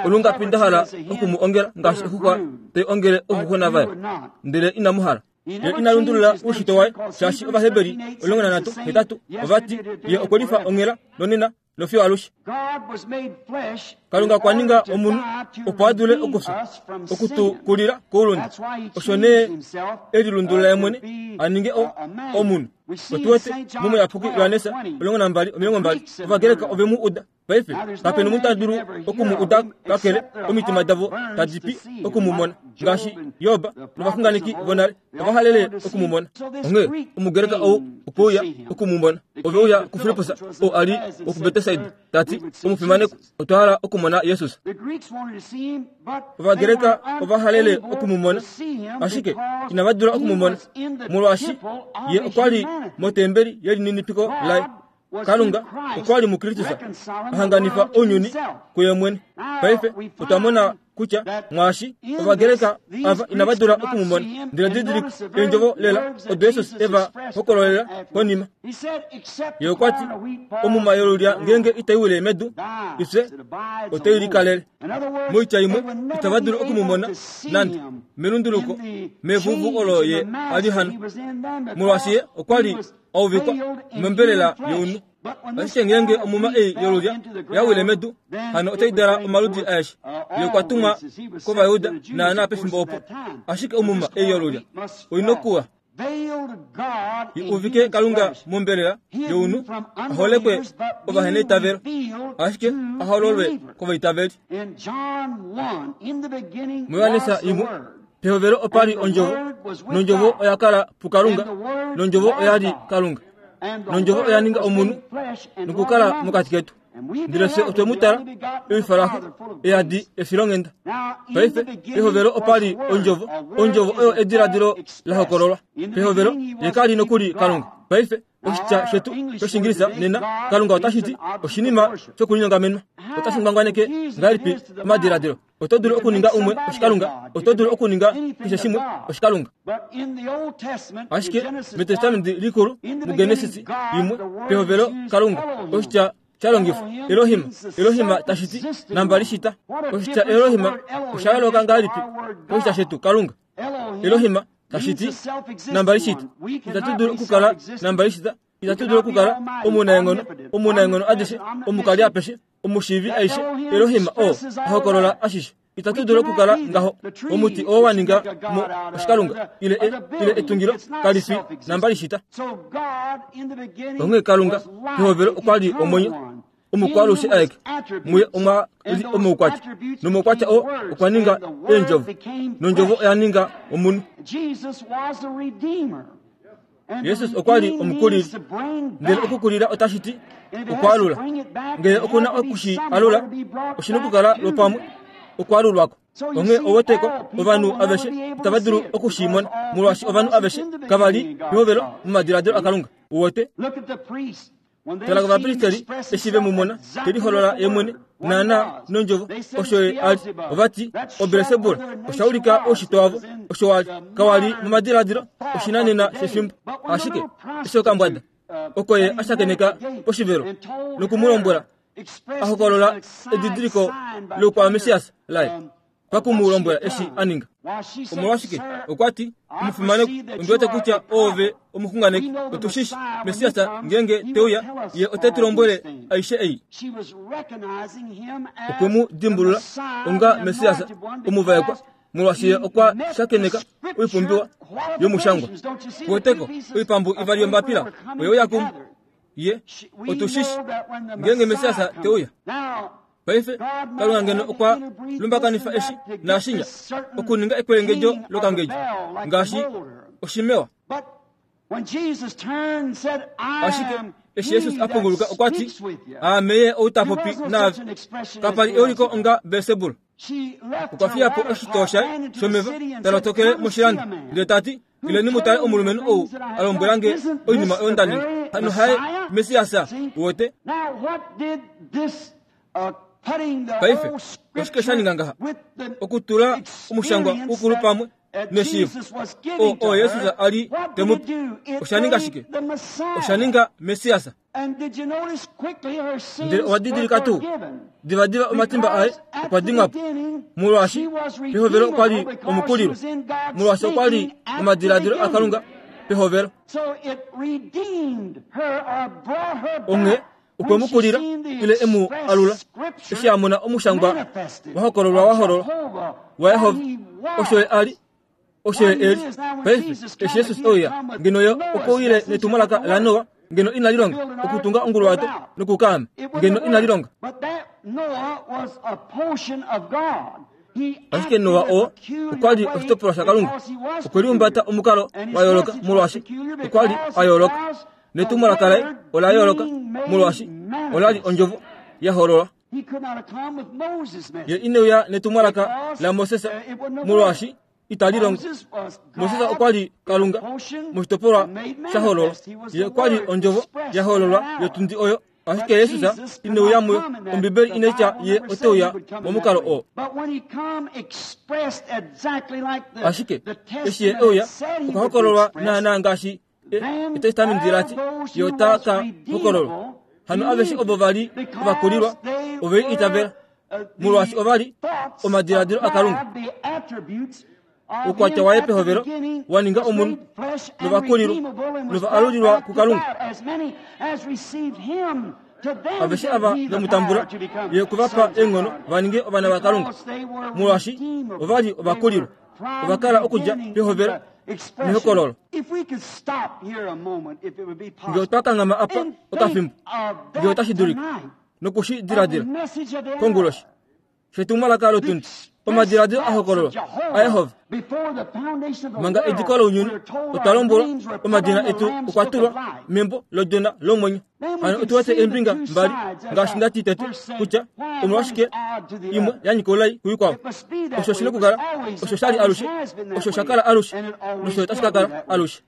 olungapi nda hala oku mu ongela ngaashi oxuxwa tai ongele ouxuxwena vayo, ndele inamu hala. Ye ina lundulula oushitwe waye, shaashi Ovaheberi 13 ova ti, Ye okwe lifa onghela nonena nofiyo alushe. Kalunga okwa ninga omunhu opo a dule okufya, oku tu kulila koulunde. Osho nee e lilundulula ye mwene a ninge o, omunhu. Otu wete mOmuyapuki Johannes 12, 20, Ovagreka ove mu uda. Paife, kape nomunhu ta dulu oku mu uda kakele omitima davo tadi pi oku mu mona, ngaashi Job novaxunganeki vonale ova halele oku mu mona. Onghee Omugreka ou okwe uya oku mu mona. Ove uya kuFilippus, oo a li wokuBetsaida, ta ti, Omufimanekwa, otwa hala okumona Jesus. Ovagreka ova halele oku mu mona, ashike inava dula oku mu mona, molwaashi ye okwa li motembeli yelininipiko laye. Kalunga okwa li muKristus a hanganifa ounyuni kuye mwene. Paife otwa mona kutya mwaashi Ovagreka ava inava dula oku mu mona. Ndele didilika eendjovo lela odo Jesus e va hokololela konima. Ye okwa ti, Omuma yolulya ngeenge itai wile medu, ifye otai likalele. Moitya imwe, itava dulu oku mu mona nande melunduluko mevuvu olo ye a li hano, molwaashi ye okwa li a uvikwa mombelela younhu. Ashike ngeenge omuma ei yolulya ya wile medu, hano otai dala omaludi aeshe. Ye okwa tumwa kOvayuda naanaa pefimbo opo. Ashike omuma ei yolulya oi nokuwa i uvike Kalunga mombelela younhu, a holekwe ovaheneitavelo, ashike a hololwe kovaitaveli. MuJohannes imwe, pehovelo opa li Ondjovo, nOndjovo oya kala puKalunga, nOndjovo oya li Kalunga. Nondjovo oya ninga omunhu nokukala mokati ketu. Ndele fye otwe mu tala, ewifa laxe, eyadi efilonghenda. Paife, pehovelo opa li Ondjovo, Ondjovo oyo ediladilo la hokololwa. Pehovelo, Ye ka li nokuli Kalunga. Paife, oshitya shetu shOshiingilisa nena, Kalunga otashi ti oshinima shokulinyongamenwa. Otashi ngwangwaneke ngahelipi omadiladilo? Oto dulu okuninga umwe oshikalunga, oto dulu okuninga keshe shimwe oshikalunga. Ashike mEtestamenti Likulu, muGenesis imwe, pehovelo Kalunga, oshitya sha longifwa Elohim, Elohim tashi ti nambali shita. Oshitya Elohim osha yooloka ngahelipi koshitya shetu Kalunga? Elohim tashi ti nambali shita. Itatu dulu okukala nambali shita, itatu dulu okukala omunaenghono, omunaenghono adishe, omukali apeshe, omushiivi aishe, Elohim oo a hokolola ashishe. Itatu dulu okukala ngaho. Omuti oo wa ninga mo oshikalunga ile e, ile etungilo kali fi nambali shita. Onghee Kalunga pehovelo okwa li omwenyo omukwaalushe aeke, muye omwa li omaukwatya, nomaukwatya oo okwa ninga eendjovo, nondjovo oya ninga omunhu. Jesus okwa li omukulili, ndele okukulila otashi ti okwaalula. Ngele oku na oku shi alula, oshi na okukala lwopamwe okwaalulwako. Onghee oweteko ovanhu aveshe itava dulu oku shi mona, molwaashi ovanhu aveshe kava li pehovelo momadiladilo aKalunga. Uwete? Tala kovapristeri eshi ve mu mona te liholola ye mwene naanaa nondjovo osho ye a li. Ova ti, OBelsebul osha ulika oushitwe wavo osho wa li. Kawa li momadiladilo oshinanena shefimbo. Ashike eshi okambwada oko ye a shakeneka poshivelo noku mu lombwela a hokolola edidiliko loukwamessias laye, paku mu lombwela eshi a ninga. Omolwashike? Okwa ti, Omufimanekwa, ondi wete kutya oove omuxunganeki. Otu shi shi, Messias ngeenge te uya, ye ote tu lombwele aishe ei. Okwe mu dimbulula onga Messias omuvaekwa, molwaashi ye okwa shakeneka oipumbiwa yomushangwa. Kuweteko, oipambu ivali yombapila oye uya kumwe. Ye, otu shi shi, ngeenge Messias te uya. Paife, Kalunga ngeno okwa lumbakanifa eshi naashinya okuninga ekwelengedjo lokangedjo ngaashi oshimewa. Ashike eshi Jesus a punguluka okwa ti, Aame ye ou ta popi naave. Kapa li euliko onga Belsebul. Okwa fiya po oshitoo shaye shomeva ta lotokele moshilando ndele ta ti, Ileni mu tale omulumenhu ou a lombwela nge oinima oyo nda ninga. Hano haye Messias, uwete? Paife, oshike sha ninga ngaha? Okutula omushangwa ukulu pamwe neshiivo oo, oo Jesus a li te mu pe. Osha ninga shike? Osha ninga Messias. Ndele owa didilika tuu? Divadiva omatimba aye okwa dimwa po, molwaashi pehovelo okwa li omukulilwa, molwaashi okwa li omadiladilo aKalunga pehovelo. Onghee okwe mu kulila ile e mu alula eshi a mona omushangwa wa hokololwa wa hololwa waJehova osho ye a li osho ye e li paife eshi Jesus e uya ngeno ye okwe uyile netumwalaka laNoa ngeno inali longa okutunga onguluwato nokukaama ngeno inali longa ashike Noa oo okwa li oshitopolwa shaKalunga okwe lihumbata omukalo wa yooloka molwaashi okwa li a yooloka netumwalaka laye ola yooloka molwaashi ola li ondjovo ya hololwa ye ine uya netumwalaka laMoses molwaashi itali longo. Moses okwa li Kalunga moshitopolwa sha hololwa. Ye okwa li ondjovo ya hololwa yotundi oyo. Ashike Jesus ine uya muyo. Ombibeli inai tya ye ote uya momukalo oo. Ashike eshi ye e uya, okwa hokololwa naanaa ngaashi Etestamenti la ti, Ye ota ka hokololwa. Hano aveshe ovo va li ovakulilwa ove i itavela, molwaashi ova li omadiladilo aKalunga. Oukwatya waye pehovelo wa ninga omunhu, novakulilwa nova alulilwa kuKalunga. Aveshe ava ve mu tambula, ye okwe va pa eenghono va ninge ovana vaKalunga, molwaashi ova li ovakulilwa. Ova kala okudja pehovelo mehokololo. Nge otwa kanghama apa okafimbo, nge otashi dulika, noku shi diladila konguloshi shetumwalaka lotundi, omadiladilo a hokololwa aJehova. Manga ediko lounyuni, otwa lombwelwa omadina etu okwa tulwa membo lOdjona lomwenyo. Hano otu wete eembinga mbali, ngaashi nda ti tete, kutya omolwashike imwe ya nyika oulai kuikwao. Osho shi nokukala, osho sha li alushe, osho sha kala alushe, nosho tashi ka kala alushe.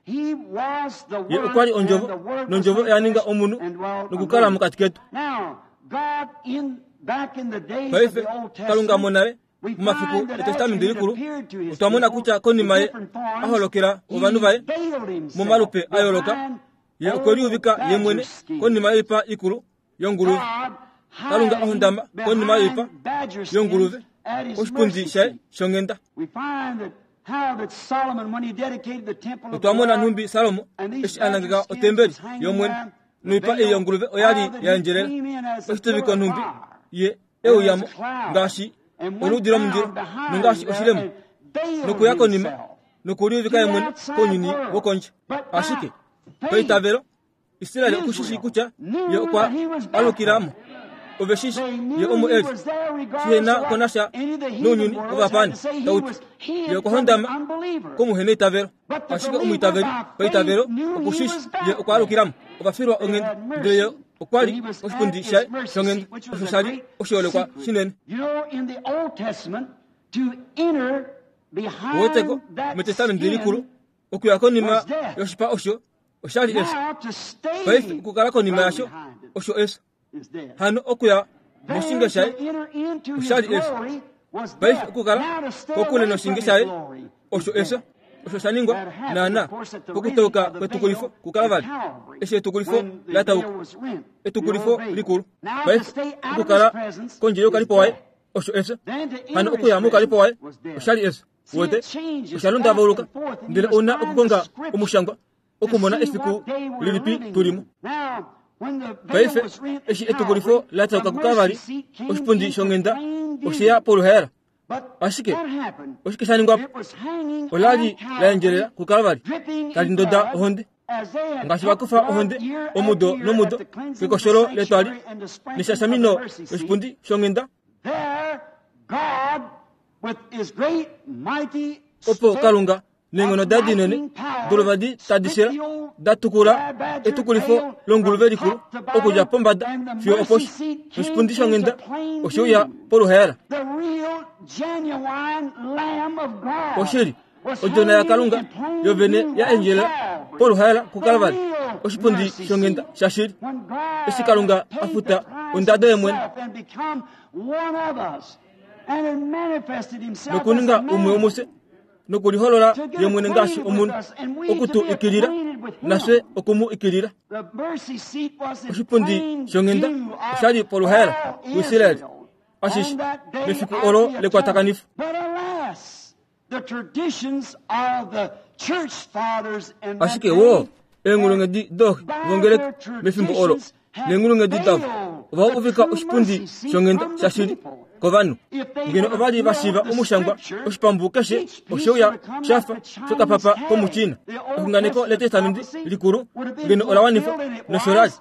Ye okwa li Ondjovo, nOndjovo oya ninga omunhu nokukala mokati ketu. Paife, Kalunga monale, momafiku Etestamenti Likulu, otwa mona kutya konima ye a holokela ovanhu vaye momalupe a yooloka, Ye okwe liuvika ye mwene konima yoipa ikulu yonguluve. Kalunga a hondama konima yoipa yonguluve koshipundi shaye shonghenda. Otwa mona nhumbi Salomo eshi a nangeka otembeli yOmwene, noipa ei yonguluve oya li ya endjelela oshituviko nhumbi ye e uya mo ngaashi oluudi lomundilo nongaashi oshilemo nokuya konima nokuliuvika ye mwene kounyuni wokondje. Ashike paitavelo, Israel oku shi shii kutya ye okwa alukila mo. Ove shi shi ye omo e li. Shihe na ko nasha nounyuni wovapaani tau ti ye okwa hondama komuheneitavelo. Ashike omwiitaveli paitavelo oku shi shi ye okwa alukila mo. Ova filwa onghenda, ndele ye okwa li koshipundi shaye shonghenda, osho sha li oshiholekwa shinene. Uweteko, mEtestamenti Likulu, okuya konima yoshipa osho osha li efyo. Paife okukala konima yasho osho efyo. Hano okuya moshinge shaye osha li efyo. Paife okukala kokule noshinge shaye osho efyo. Osho sha ningwa naana pokutauka kwetukulifo kuKalvari, eshi etukulifo la tauka, etukulifo likulu. Paife okukala kondje youkalipo waye osho efyo. Hano okuya moukalipo waye osha li efyo. Wete, osha lundavauluka, ndele ou na okukonga omushangwa okumona efiku lilipi tu li mo. Paife, eshi etukulifo la tauka kuKalvari, oshipundi shonghenda oshe ya poluhaela. Ashike oshike sha ningwa po? Ola li la endjelela kuKalvari, tali ndoda ohonde. Ngaashi va kufa ohonde omudo nomudo kekosholo letwali neshashamino loshipundi shonghenda, Opo Kalunga neenghono daye dinene dolovadi tadi shela da tukula etukulifo longuluve likulu okudja pombada fiyo oposhi, noshipundi shonghenda oshe uya poluhaela. Oshili, Odjona yaKalunga yo vene ya endjelela poluhaela kuKalvari, oshipundi shonghenda shashili, eshi Kalunga a futa ondado ye mwene nokuninga umwe womufye nokuliholola ye mwene ngaashi omunhu oku tu ikilila nafye oku mu ikilila. Oshipundi shonghenda osha li poluhaela kuIsrael ashishe mefiku olo lekwatakanifo. Ashike woo, eenghulunghedi dooxe vongeleka mefimbo olo neenghulunghedi davo ova uvika oshipundi shonghenda shashili kovanhu. Ngeno ova li va shiiva omushangwa oshipambu keshe oshe uya sha fa shokapapa komuChina. Exunganeko lEtestamenti Likulu ngeno ola wanifwa nosho la li.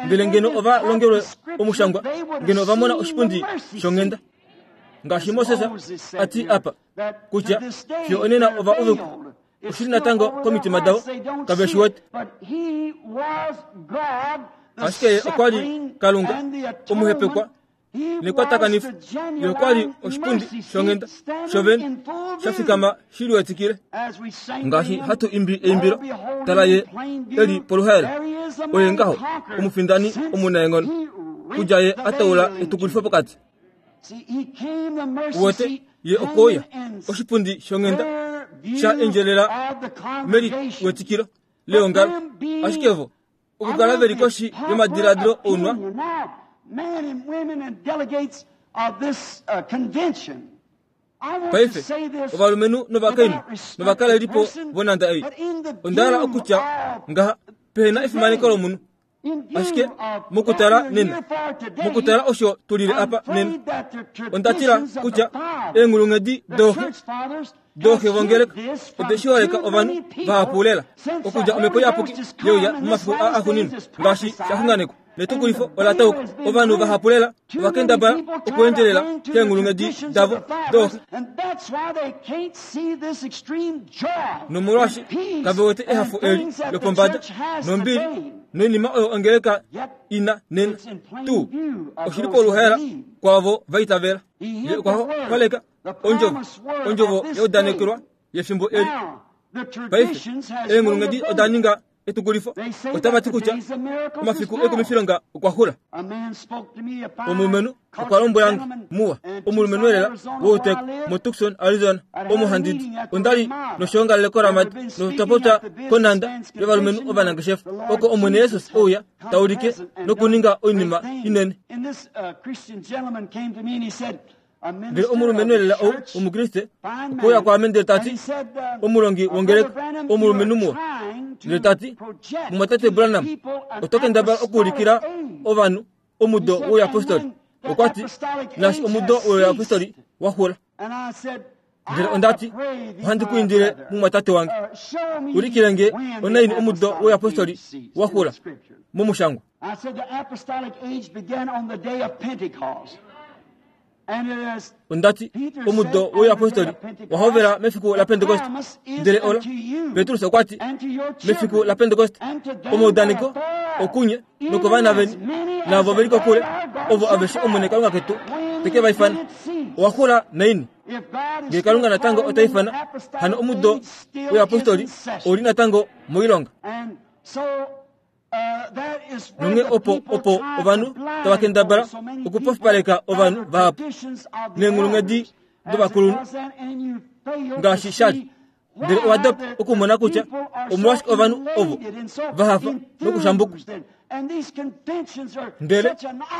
Ndele ngeno ova longelwe omushangwa, ngeno ova mona oshipundi shonghenda. Ngaashi Moses a ti apa, kutya fiyo onena ova uvikwa oshili natango komitima davo, kave shi wete. Ashike ye okwa li Kalunga, omuhepekwa. Nekwatakanifa ye okwa li oshipundi shonghenda shovene sha fikama shi liwetikile. Ngaashi hatu imbi eimbilo, tala ye e li poluhaela, oye ngaho omufindani omunaenghono, kudja ye a taula etukulifo pokati. Uwete, ye okwe uya, oshipundi shonghenda sha endjelela meliwetikilo leongalo, ashike vo okukala ve li koshi yomadiladilo ounwa. Paife, ovalumenhu novakainhu novakalelipo vonhanda ei, onda hala okutya ngaha, pehe na efimaneko lomunhu, ashike mokutala nena, mokutala osho tu lile apa nena, onda tila kutya eenghulunghedi dooxe dooxe vongeleka ode shi holeka ovanhu vahapu lela okudja omhepo iyapuki yeuya momafiku aa axuuninwa ngaashi sha xunganekwa netukulifo ola tauka ovanhu vahapu lela ova kendabala okuendjelela keenghulunghedi davo dooxe nomolwaashi kave wete ehafo eli lopombada nombili noinima oyo ongeleka ina nena tuu oshi li poluhaela kwaavo va itavela ye okwa holeka ondjovo ondjovo ya udanekelwa yefimbo eli paife eenghulunghedi oda ninga etukulifo otava ti kutya omafiku ekumifilonga okwa xula omulumenhu okwa lombwela nge muwa omulumenhu elela wouteko motucson arizona omo handi di onda li noshoongalele koramadi notwa popya konhanda yovalumenhu ovanangeshefa oko omwene jesus ouya ta ulike nokuninga oinima inene Ndele omulumenhu elela ou Omukriste okwe uya kwaame ndele ta ti, Omulongi wongeleka, omulumenhu muwa. Ndele ta ti, Mumwatate Branham, oto kendabala okuulikila ovanhu omudo wouyapostoli. Okwa ti, Naashi omudo wouyapostoli wa xula. Ndele onda ti, Ohandi ku indile, mumwatate wange, ulikile nge onaini omudo wouyapostoli wa xula momushangwa. Onda ti, Omudo wouyapostoli wa hovela mefiku laPentekoste. Ndele ola, Petrus okwa ti, mefiku laPentekoste, omaudaneko okunye nokovana veni naavo ve li kokule, ovo aveshe Omwene Kalunga ketu te ke va ifana. Owa xula naini? Ngee Kalunga natango ota ifana, hano omudo wouyapostoli ou li natango moilonga. Nonghee opo opo ovanhu tava kendabala okupofipaleka ovanhu vahapu neenghulunghedi dovakulunhu ngaashi sha li. Ndele owa dopa okumona kutya omolwashike ovanhu ovo va hafa nokushambukwa. Ndele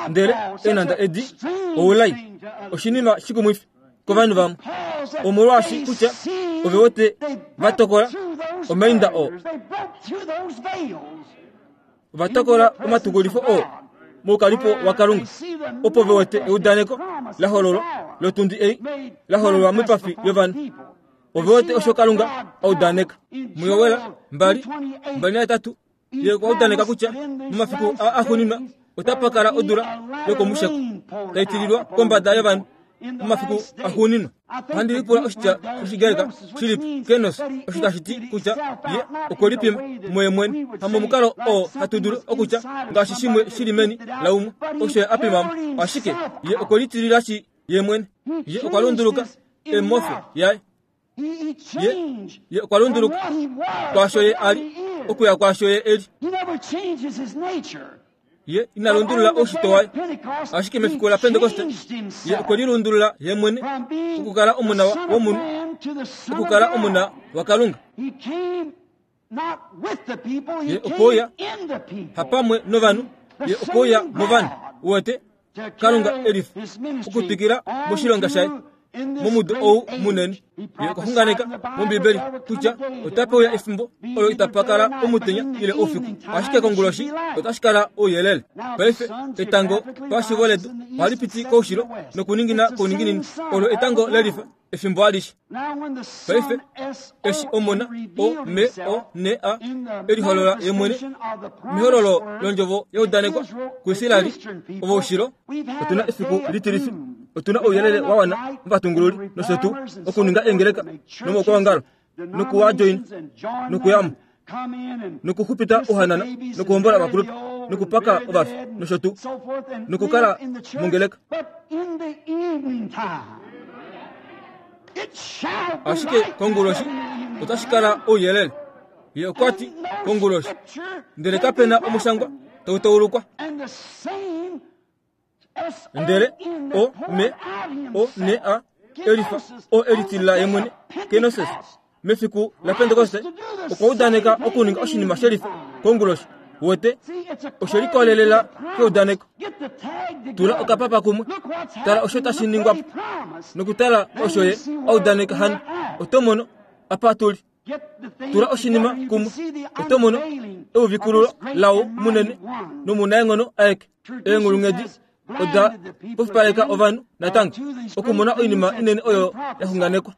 ndele eenhanda edi oulai oshinima shikumwifi kovanhu vamwe omolwaashi kutya ove wete va tokola omainda oo ova tokola omatukulifo oo moukalipo wakalunga opo ve wete eudaneko la hololwa lotundi ei la hololwa moipafi yovanhu ove wete osho kalunga a udaneka muyowela mbali mbali nahetatu Ye okwa udaneka kutya momafiku aa axuuninwa otapa kala odula yokomusheko tai tililwa kombada yovanhu momafiku axuuninwa. Ohandi lipula oshitya shOshigreka shilipi, kenos, osho tashi ti kutya ye okwe lipima muye mwene, hamomukalo oo hatu dulu okutya ngaashi shimwe shi li meni laumwe osho ye a pima mo, ashike ye okwe litililashi ye mwene. Ye okwa lunduluka emofe yaye. Ye, ye okwa lunduluka kwaasho ye a li okuya kwaasho ye e li. Ye ina lundulula oushitwe waye, ashike mefiku laPentekoste ye okwe lilundulula ye mwene okukala omona womunhu okukala omona waKalunga. Ye okwe uya hapamwe novanhu, ye okwe uya movanhu. Uwete, Kalunga e lifa okutwikila moshilonga shaye momudo ou munene. Ye okwa xunganeka mOmbibeli kutya otapa uya efimbo olo itapa kala omutenya ile oufiku, ashike konguloshi otashi kala ouyelele. Paife etango pashivo ledu ohali piti koushilo nokuningina kouninginino. Olo etango le lifa efimbo alishe. Paife, eshi Omona, O M O N A, e liholola ye mwene mehololo londjovo ya udanekwa kuIsraeli ovoushilo, otu na efiku litilifi, otu na ouyelele wa wana movatungululi nosho tuu okuninga eengeleka nomoukwaongalo nokuwa joina nokuya mo. Nokuxupita ohanana, nokuhombola ovakulupe, nokupaka ovafi, nosho tuu, nokukala mongeleka. Ashike konguloshi otashi kala ouyelele. Ye okwa ti, konguloshi. Ndele kape na omushangwa tau taulukwa. Ndele o me o ne a elifa o elitilila ye mwene kenosis mefiku laPentekoste okwa udaneka okuninga oshinima shelifa konguloshi. Wete, oshe likolelela keudaneko. Tula okapapa kumwe, tala osho tashi ningwa po, nokutala osho ye a udaneka hano, oto mono apa tu li. Tula oshinima kumwe, oto mono euvikululo lao munene nomunaenghono aeke. Eenghulunghedi oda pofipaleka ovanhu natango okumona oinima inene oyo ya xunganekwa.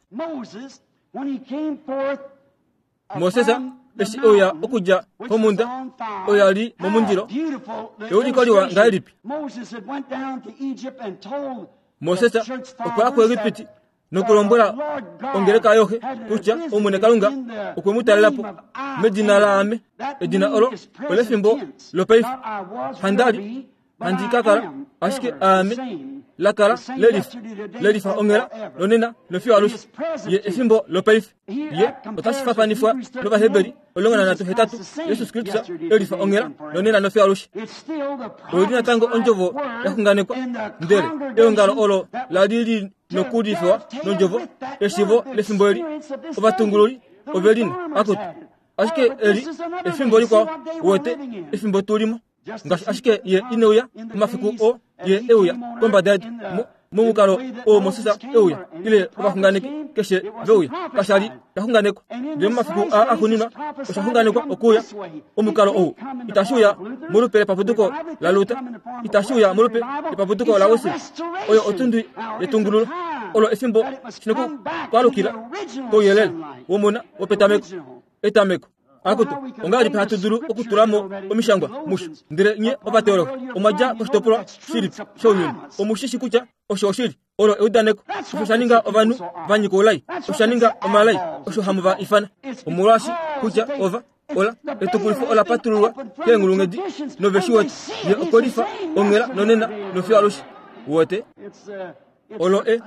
Moses eshi e uya okudja komhunda oyo ya li momundilo, euliko liwa ngahelipi! Moses okwa ya kuEgipiti nokulombwela ongeleka yoxe kutya Omwene Kalunga okwe mu talela po medina laame. Edina olo olefimbo lopaife. Handa li handi ka kala ashike aame la kala lelifa, lelifa onghela nonena nofiyo alushe. Ye efimbo lopaife. Ye otashi fafanifwa nOvaheberi 13, Jesus Kristus elifa onghela nonena nofiyo alushe. Oyi li natango ondjovo ya xunganekwa, ndele eongalo olo la li li nokulifiwa nondjovo eshivo lefimbo eli ovatungululi ove lina akutu ashike eli efimbo likwao wete efimbo tu limo ngaashi ashike ye ine uya momafiku oo ye e uya kombada yedu momukalo oo Moses e uya ile ovaxunganeki keshe ve uya kasha li sha xunganekwa ndele momafiku aa axuuninwa osha xunganekwa okuuya omukalo ou itashi uya molupe lepapuduko laLuther itashi uya molupe lepapuduko laWesley oyo otundi yetungululo olo efimbo shinokukwalukila kouyelele womona wopetameko etameko Akutu, ongahelipi hatu dulu okutula mo omishangwa musho? Ndele nye ovateologi omwa dja koshitopolwa shilipi shounyuni? Omu shi shi kutya osho oshili. Olo eudaneko. Osho sha ninga ovanhu va nyika oulai. Osho sha ninga omalai. Osho hamu va ifana. Omolwaashi kutya ova, ola, etukulifo ola patululwa keenghulunghedi nove shi wete. Ye okwe lifa onghela nonena nofiyo alushe. Uwete? Olo e,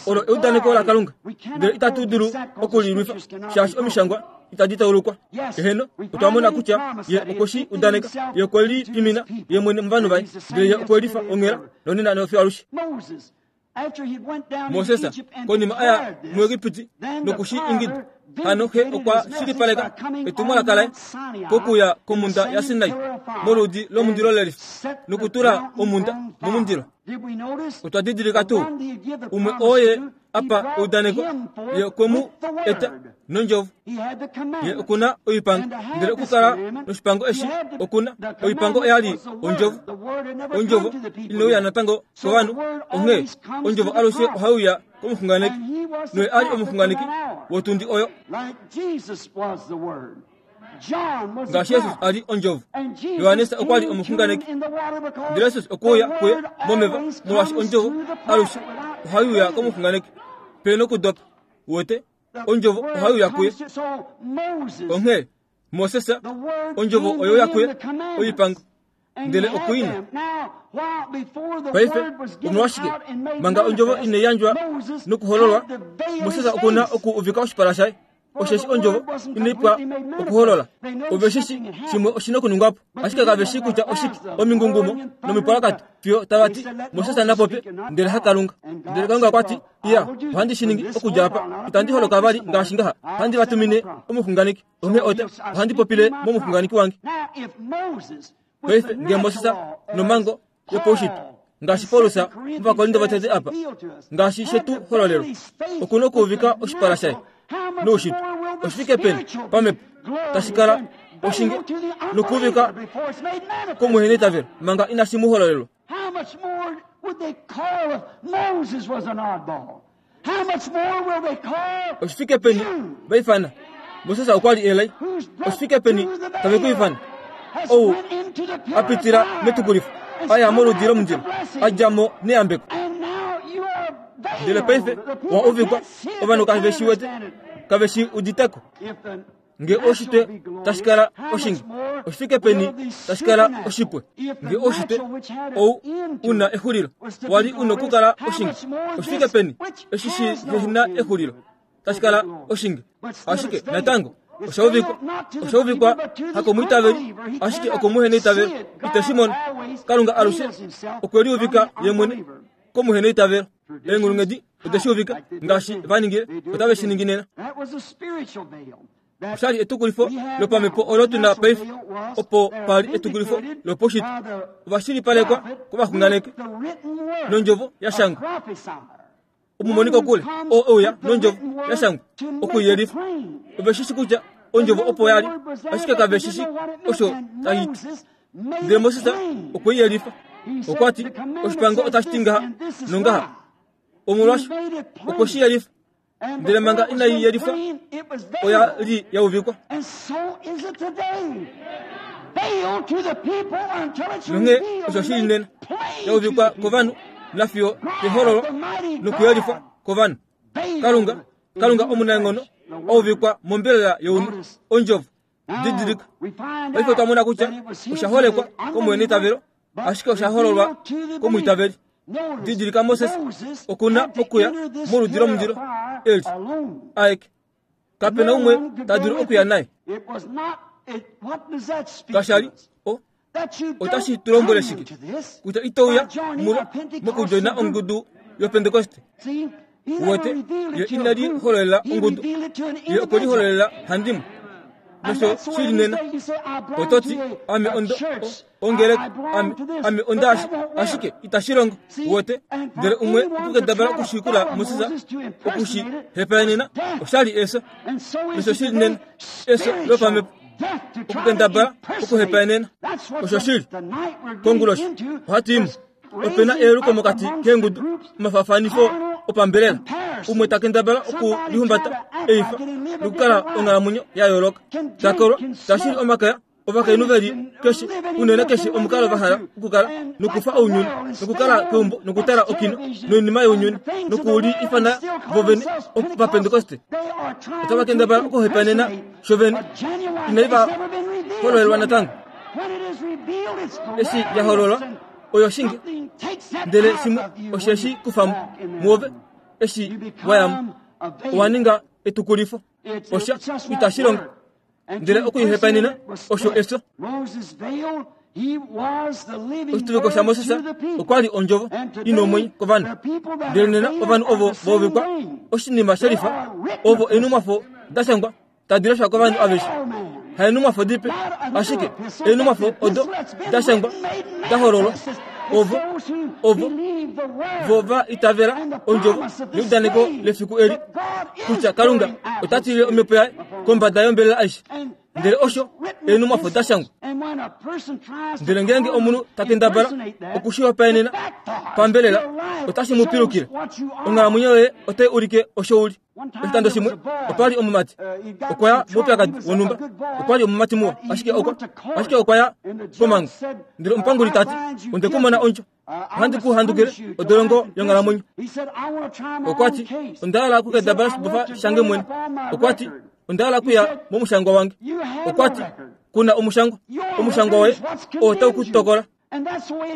olo eudaneko laKalunga, ndele itatu dulu oku li lwifa, shaashi omishangwa itadi taulukwa. Eheno, otwa mona kutya ye okwe shi udaneka, ye okwe li pimina ye mwene movanhu vaye, ndele ye okwe lifa onghela nonena nofiyo alushe. Moses konima a ya muEgipiti noku shi ingida, hano xe okwa shilipaleka etumwalaka laye pokuya komhunda yaSinai moludi lomundilo lelifa nokutula omhunda momundilo. Otwa didilika tuu umwe oo ye apa eudaneko ye okwe mu eta nondjovo. Ye oku na oipango, ndele okukala noshipango eshi oku na oipango oya li ondjovo. Ondjovo inai uya natango kovanhu, onghee ondjovo alushe ohai uya komuxunganeki, noye a li omuxunganeki wotundi oyo. Ngaashi Jesus a li ondjovo, Johannes okwa li omuxunganeki. Ndele Jesus okwe uya kuye momeva, molwaashi ondjovo alushe ohai uya komuxunganeki. Pe nokudopa, uwete, ondjovo ohai uya kuye. Onghee, Moses, ondjovo oyo uya kuye, oipango. Ndele okuina. Paife, omolwashike? Manga ondjovo inai yandjwa nokuhololwa, Moses oku na oku uvika oshipala shaye. Osheshi ondjovo inai pwa okuholola. Ove shi shi shimwe oshi na okuningwa po, ashike kave shii kutya oshike. Omingungumo nomipwalakato, fiyo tava ti, Moses na popye, ndele haKalunga. Ndele Kalunga okwa ti, Iya, ohandi shi ningi okudja apa. Itandi holoka vali ngaashi ngaha. Ohandi va tumine omuxunganeki. Onghee ota, ohandi popile momuxunganeki wange. Paife, nge Moses nomhango yopaushitwe, ngaashi Paulus mOvakorinto votete apa, ngaashi she tu hololelwa, oku nokuuvika oshipala shaye noushitwe, oshifike peni pamhepo tashi kala oshinge nokuuvika komuheneitavelo manga inashi mu hololelwa. How much more would they call if Moses was an oddball? How much more will they call Oshifike peni va ifana Moses okwa li elai. Oshifike peni tave ku ifana ou a pitila metukulifo, a ya moludi lomundilo, a dja mo neyambeko. Ndele paife wa uvikwa, ovanhu kave shi wete, kave shi udite ko. Nge oshitwe tashi kala oshingi, oshifike peni tashi kala oshipwe? Nge oshitwe ou u na exulilo wa li u nokukala oshingi, oshifike peni eshi shi na exulilo tashi kala oshingi? Ashike natango osha uvikwa, osha uvikwa hakomwiitaveli, ashike okomuheneitavelo. Ite shi mono. Kalunga alushe okwe liuvika ye mwene komuheneitavelo. Eenghulunghedi ode shi uvika ngaashi va ningile, otave shi ningi nena. Osha li etukulifo lopamhepo olo tu na paife, opo pa li etukulifo lopaushitwe. Ova shilipalekwa kovaxunganeki nondjovo ya shangwa. Omumoni kokule oo e uya nondjovo ya shangwa oku i yelifa. Ove shi shi kutya ondjovo opo ya li, ashike kave shi shi osho tai ti. Ndele Moses okwe i yelifa. Okwa ti, Oshipango otashi ti ngaha nongaha. Omolwasho okwe shi yelifa. Ndele manga inai yelifwa, oya li ya uvikwa. Nonghee osho shi li nena, ya uvikwa kovanhu nafiyo yehololo nokuyelifwa kovanhu. Kalunga, Kalunga omunaenghono, a uvikwa mombelela younhu, Ondjovo. Didilika, paife otwa mona kutya osha holekwa komuheneitavelo, ashike osha hololwa komwiitaveli. Didilika Moses oku na okuya moludi lomundilo eli aeke. Kape na umwe ta dulu okuya naye. Kasha li o otashi tu lombwele shike kutya ito uya mulo mokudjoina ongudu yopentekoste? Uwete, ye ina li hololela ongudu, ye okwe li hololela handimwe. Nosho shi li nena. Oto ti, Ame ondo, ongeleka, ame, ame ondaashi, ashike itashi longo. Uwete, ndele umwe okukendabala okushikula Moses oku shi hepaenena, osha li efyo. Nosho shi li nena, efyo lopamhepo, okukendabala okuhepaenena. Osho shi li. Konguloshi, ohatu i mo. Ope na eyeluko mokati keengudu, omafaafanifo opambelela, umwe ta kendabala okulihumbata eifa nokukala onghalamwenyo ya yooloka, ta kolwa, ta shili omakaya, ovakainhu ve li keshe unene keshe omukalo va hala okukala nokufa ounyuni nokukala keumbo nokutala okino noinima younyuni noku li ifana vo vene Ovapentekoste. Otava kendabala okuhepanena sho vene inai va hololelwa natango. Eshi ya hololwa oyo shinge, ndele shimwe osheshi kufa mo muove eshi wa ya mo, owa ninga etukulifo. Osha itashi longo, ndele okuihepanena osho efyo. Oshituviko shaMoses okwa li ondjovo i nomwenyo kovanhu, ndele nena ovanhu ovo va uvikwa oshinima shelifa, ovo eenhumwafo da shangwa tadi leshwa kovanhu aveshe, haenhumwafo dipe, ashike eenhumwafo odo da shangwa da hololwa, ovo ovo vo va itavela ondjovo neudaneko lefiku eli kutya Kalunga ota tilile omhepo yaye kombada yombelela aishe. Ndele osho eenhumwafo da shangwa. Ndele ngeenge omunhu ta kendabala oku shi hopaenena pambelela, otashi mu pilukile. Onghalamwenyo yoye otai ulike osho u li. Oshikando shimwe opa li omumati okwa ya moupyakadi wonhumba. Okwa li omumati muwa, ashike okwa ashike okwa ya komhangu. Ndele omupanguli ta ti, Onde ku mona ondjo, ohandi ku handukile odolongo yonghalamwenyo. Okwa ti, Onda hala okukedabala oshibofa shange mwene. Okwa ti, Onda hala okuya momushangwa wange. Okwa ti, Ku na omushangwa. Omushangwa woye oo tau ku tokola.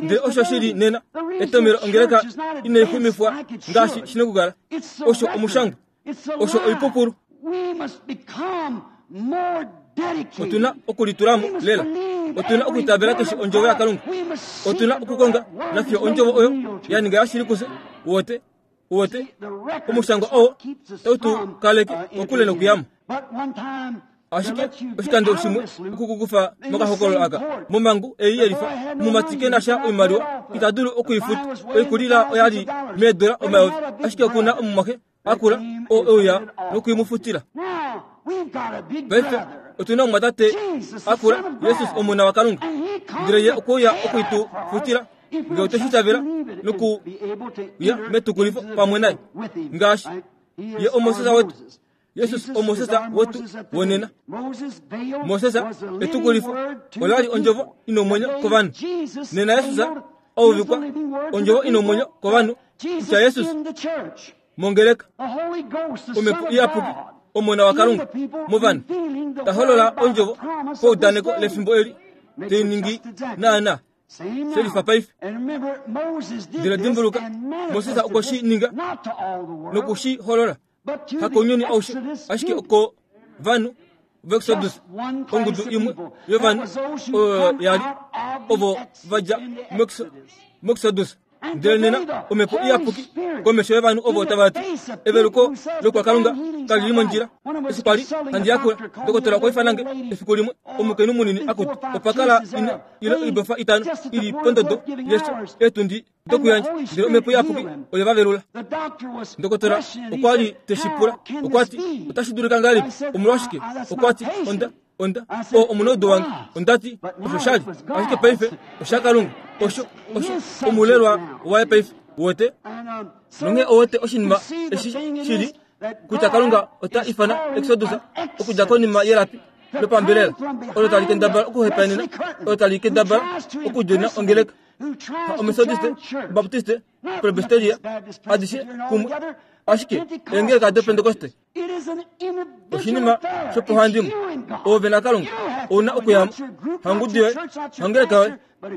Ndele osho shi li nena, etomhelo ongeleka inai xumifwa ngaashi shi na okukala. Osho omushangwa. Osho oipupulu. Otu na okulitula mo lela. Otu na okwiitavela keshe ondjovo yaKalunga. Otu na okukonga nafiyo ondjovo oyo ya ninga yashili kufye. Wote, wote, omushangwa oo tau tu kaleke kokule nokuya mo. Ashike oshikando shimwe okukukufa mokahokololo aka momhangu ei yelifa, omumati ke na sha oimaliwa, ita dulu oku i futa. Oikulila oya li meedola omayovi, ashike oku na omumwaxe a kula oo e uya noku i mu futila. Paife otu na omumwatate a kula, Jesus Omona waKalunga, ndele ye okwe uya oku i tu futila nge otwe shi itavela nokuya metukulifo pamwe naye, ngaashi ye oMoses wetu. Jesus oMoses wetu wonena. Moses etukulifo ola li ondjovo i nomwenyo kovanhu. Nena Jesus a uvikwa ondjovo i nomwenyo kovanhu kutya Jesus mongeleka Omhepo Iyapuki. Omona waKalunga movanhu ta holola ondjovo paudaneko lefimbo eli, te i ningi naanaa she lifa paife. Ndele dimbuluka, Moses okwe shi ninga noku shi holola, hakounyuni aushe, ashike okovanhu vExodus, ongudu imwe yovanhu oyo ya li ovo va dja muExodus. Ndele nena omhepo iyapuki komesho yovanhu ovo tava ti eveluko lokwakalunga kali li mondjila. Eshi kwa li handi yakula, ndokotola okwa ifana nge efiku limwe, omukainhu munini akutu. Opa kala ine ile oibofa itano i li pondodo yefyo eetundi dokuyandja, ndele omhepo iyapuki oye va velula. Ndokotola okwa li te shi pula, okwa ti, Otashi dulika ngahelipi? Omolwashike? Okwa ti, Onda Onda, o omunaudu wange, onda ti, osho sha li, ashike paife oshaKalunga. Osho, osho omulelwa waye paife. Uwete? Nonghee owete oshinima eshi shi li, kutya Kalunga ota ifana Exodus okudja konima yelapi lopambelela olo tali kendabala okuhepaenena, olo tali kendabala okudjona ongeleka. Ha Omethodiste, Obaptiste, Presbyteria, adishe kumwe, ashike eengeleka doPentekoste. Oshinima shopohandimwe, ove naKalunga ou na okuya mo, hangudu yoye, hangeleka yoye,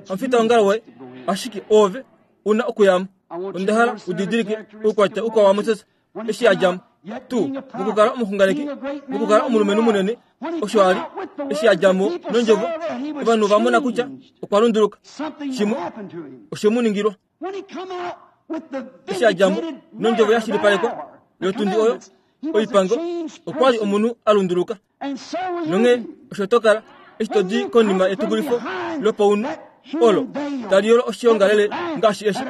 hamufitaongalo woye, ashike ove u na okuya mo. Onda hala u didilike oukwatya ukwao waMoses eshi a dja mo tuu mokukala omuxunganeki, mokukala omulumenhu munene, osho a li eshi a dja mo nondjovo, ovanhu ova mona kutya okwa lunduluka. Shimwe oshe mu ningilwa. Eshi a dja mo nondjovo ya shilipalekwa yotundi oyo oipango, okwa li omunhu a lunduluka. Nonghee osho to kala eshi to di konima yetukulifo lopaunhu olo tali yolo oshiongalele ngaashi eshi,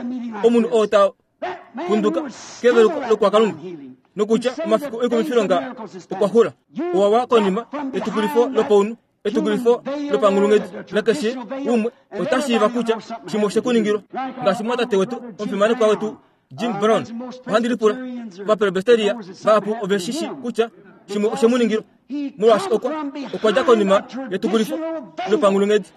omunhu oo ta punduka keveluko lokwakalunga nokutya omafiku oikumifilonga okwa xula, owa wa konima yetukulifo lopaunhu Etukulifo lopanghulunghedi nakeshe umwe ota shiiva kutya shimwe oshe ku ningilwa. Ngaashi omumwatate wetu omufimanekwa wetu Jim Brown, ohandi lipula, Ovapresbyteria vahapu ove shi shi kutya shimwe oshe mu ningilwa, molwaashi okwa, okwa dja konima yetukulifo lopanghulunghedi.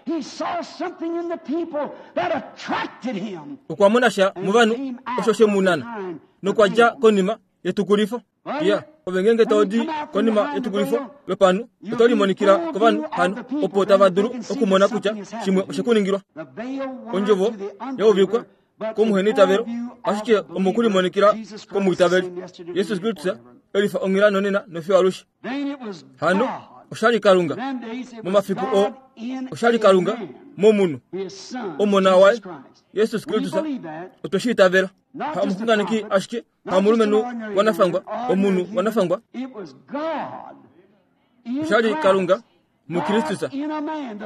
Okwa mona sha movanhu osho she mu nana, nokwa dja konima yetukulifo. Ya, ove ngeenge to di konima yetukulifo lopanhu, oto limonikila kovanhu hano, opo tava dulu okumona kutya shimwe oshe ku ningilwa. Ondjovo ya uvikwa komuheneitavelo, ashike omokulimonikila komwiitaveli. Jesus Kristus e lifa onghela nonena nofiyo alushe. Hano osha li Kalunga momafiku oo, osha li Kalunga momunhu, Omona waye Jesus Kristus. Otwe shi itavela. Ha omuxunganeki ashike, hamulumenhu wanafangwa, omunhu wanafangwa. Osha li Kalunga muKristus,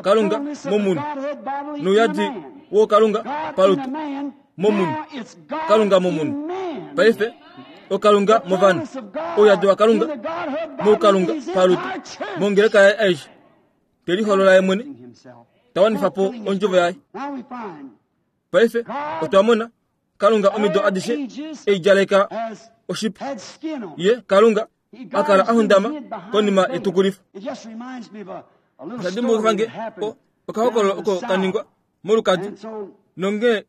Kalunga momunhu, nouyadi wookalunga palutu momunhu, Kalunga momunhu. Paife okalunga movanhu, ouyadi waKalunga moukalunga palutu mongeleka yaye aishe, te liholola ye mwene, ta wanifa po ondjovo yaye. Paife otwa mona Kalunga omido adishe e i djaleka oshipa. Ye, Kalunga, a kala a hundama konima yetukulifo. Osha dimbulukifa nge o, okahokololo oko ka ningwa molukadi, nonghee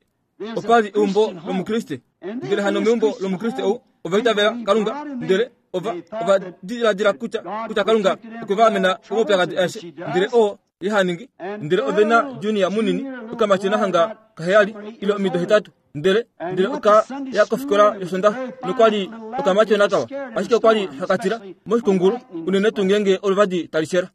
opa li eumbo lOmukriste. Ndele hano meumbo lOmukriste ou, ova itavela Kalunga, ndele ova, ova diladila kutya, kutya Kalunga okwe va amena komaupyakadi aeshe. Ndele oo ye ha ningi. Ndele ove na junior munini, okamatyona hanga kaheyali ile omido hetatu, ndele ndele oka ya kofikola yOsondaxa nokwa li okamatyona kawa, ashike okwa li haka tila moshikungulu, unene tuu ngeenge oluvadi tali shela.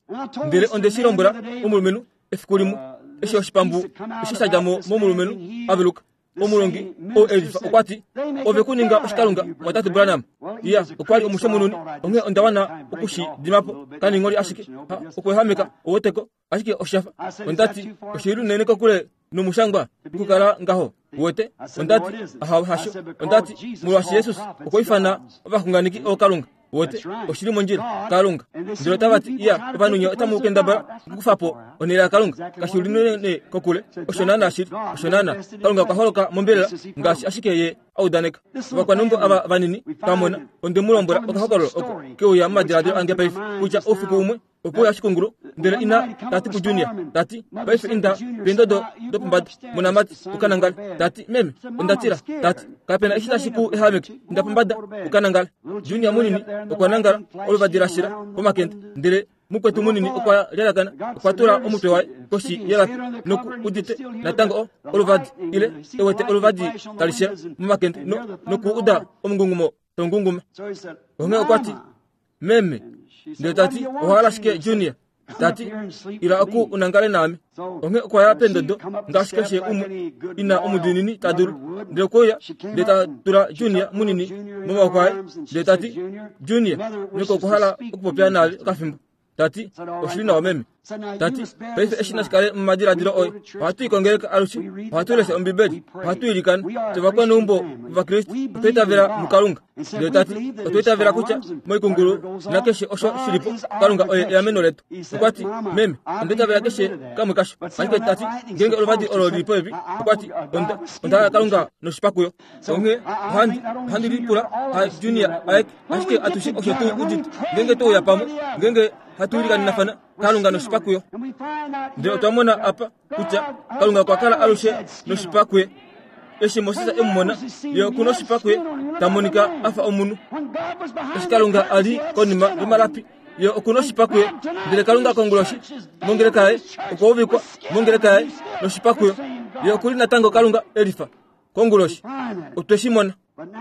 Ndele onde shi lombwela omulumenhu efiku limwe, eshi oshipambu eshi sha dja mo momulumenhu a veluka. Omulongi ou e lifa okwa ti, Ove ku ninga oshikalunga, mwatate Branham. Iya, okwa li omushomununi, onghee onda wana oku shi dima po. Kaningholi ashike, ha, okuehameka, ouweteko, ashike osha fa. Onda ti, Oshi li unene kokule nomushangwa okukala ngaho, uwete. Onda ti, Ahawe, hasho. Onda ti, Molwaashi Jesus okwa ifana ovaxunganeki ookalunga. Wote, oshi li mondjila, Kalunga. Ndele otava ti, Iya, ovanhu nye otamu kendabala okukufa po onhele yaKalunga. Kashi li unene kokule. Osho naanaa shili. Osho naanaa. Kalunga okwa holoka mombelela, ngaashi ashike Ye a udaneka. Ovakwaneumbo ava vanini twa mona, onde mu lombwela okahokololo oko ke uya momadiladilo ange paife, kutya oufiku umwe. Okwe uya oshikungulu, ndele ina ta ti kuJunior, ta ti, Paife inda peendodo dopombada, monamati, u ka nangale. Ta ti, Meme, onda tila. Ta ti, Kape na eshi tashi ku ehameke. Inda pombada, u ka nangale. Junior munini okwa nangala oluvadi la shila pomakende, ndele mukwetu munini okwa lyalakana, okwa tula omutwe waye koshi yelapi noku udite natango o, oluvadi, ile e wete oluvadi tali shila momakende no, noku uda omungungumo tau ngunguma. Onghee okwa ti, Meme, ndele ta ti, owa hala shike, Junior? Ta ti, ila oku u nangale naame. Onghee okwa ya pendodo ngaashi keshe umwe ina omudiinini ta dulu. Ndele okwe uya, ndele ta tula Junior munini momaoko aye, ndele ta ti, Junior, nyoko okwa hala okupopya naave okafimbo. Ta ti, Oshi li nawa, meme. Ta ti, Paife eshi nashi kale momadiladilo oye. Ohatu i kongeleka alushe. Ohatu lesha Ombibeli. Ohatu ilikana. Fye ovakwaneumbo Ovakriste otwa itavela muKalunga. Ndele ta ti, Otwa itavela kutya moikungulu nakeshe osho shi li po, Kalunga oye eameno letu. Okwa ti, Meme, onda itavela keshe kamwe kasho. Ashike ta ti, ngeenge oluvadi olo li li popepi, okwa ti, onda, onda hala Kalunga noshipakuyo. Onghee ohandi, ohandi lipula, ha Junior aeke, ashike atushe osho tu udite. Ngeenge twe uya pamwe, ngeenge hatu ilikanenafana, Kalunga noshipa kuyo. Ndele otwa mona apa kutya Kalunga okwa kala alushe noshipa kuye. Eshi Moses e mu mona, ye oku noshipa kuye, ta monika a fa omunhu. Eshi Kalunga a li konima yomalapi, ye oku noshipa kuye. Ndele Kalunga konguloshi, mongeleka yaye, okwa uvikwa mongeleka yaye noshipa kuyo. Ye oku li natango Kalunga e lifa. Konguloshi, otwe shi mona.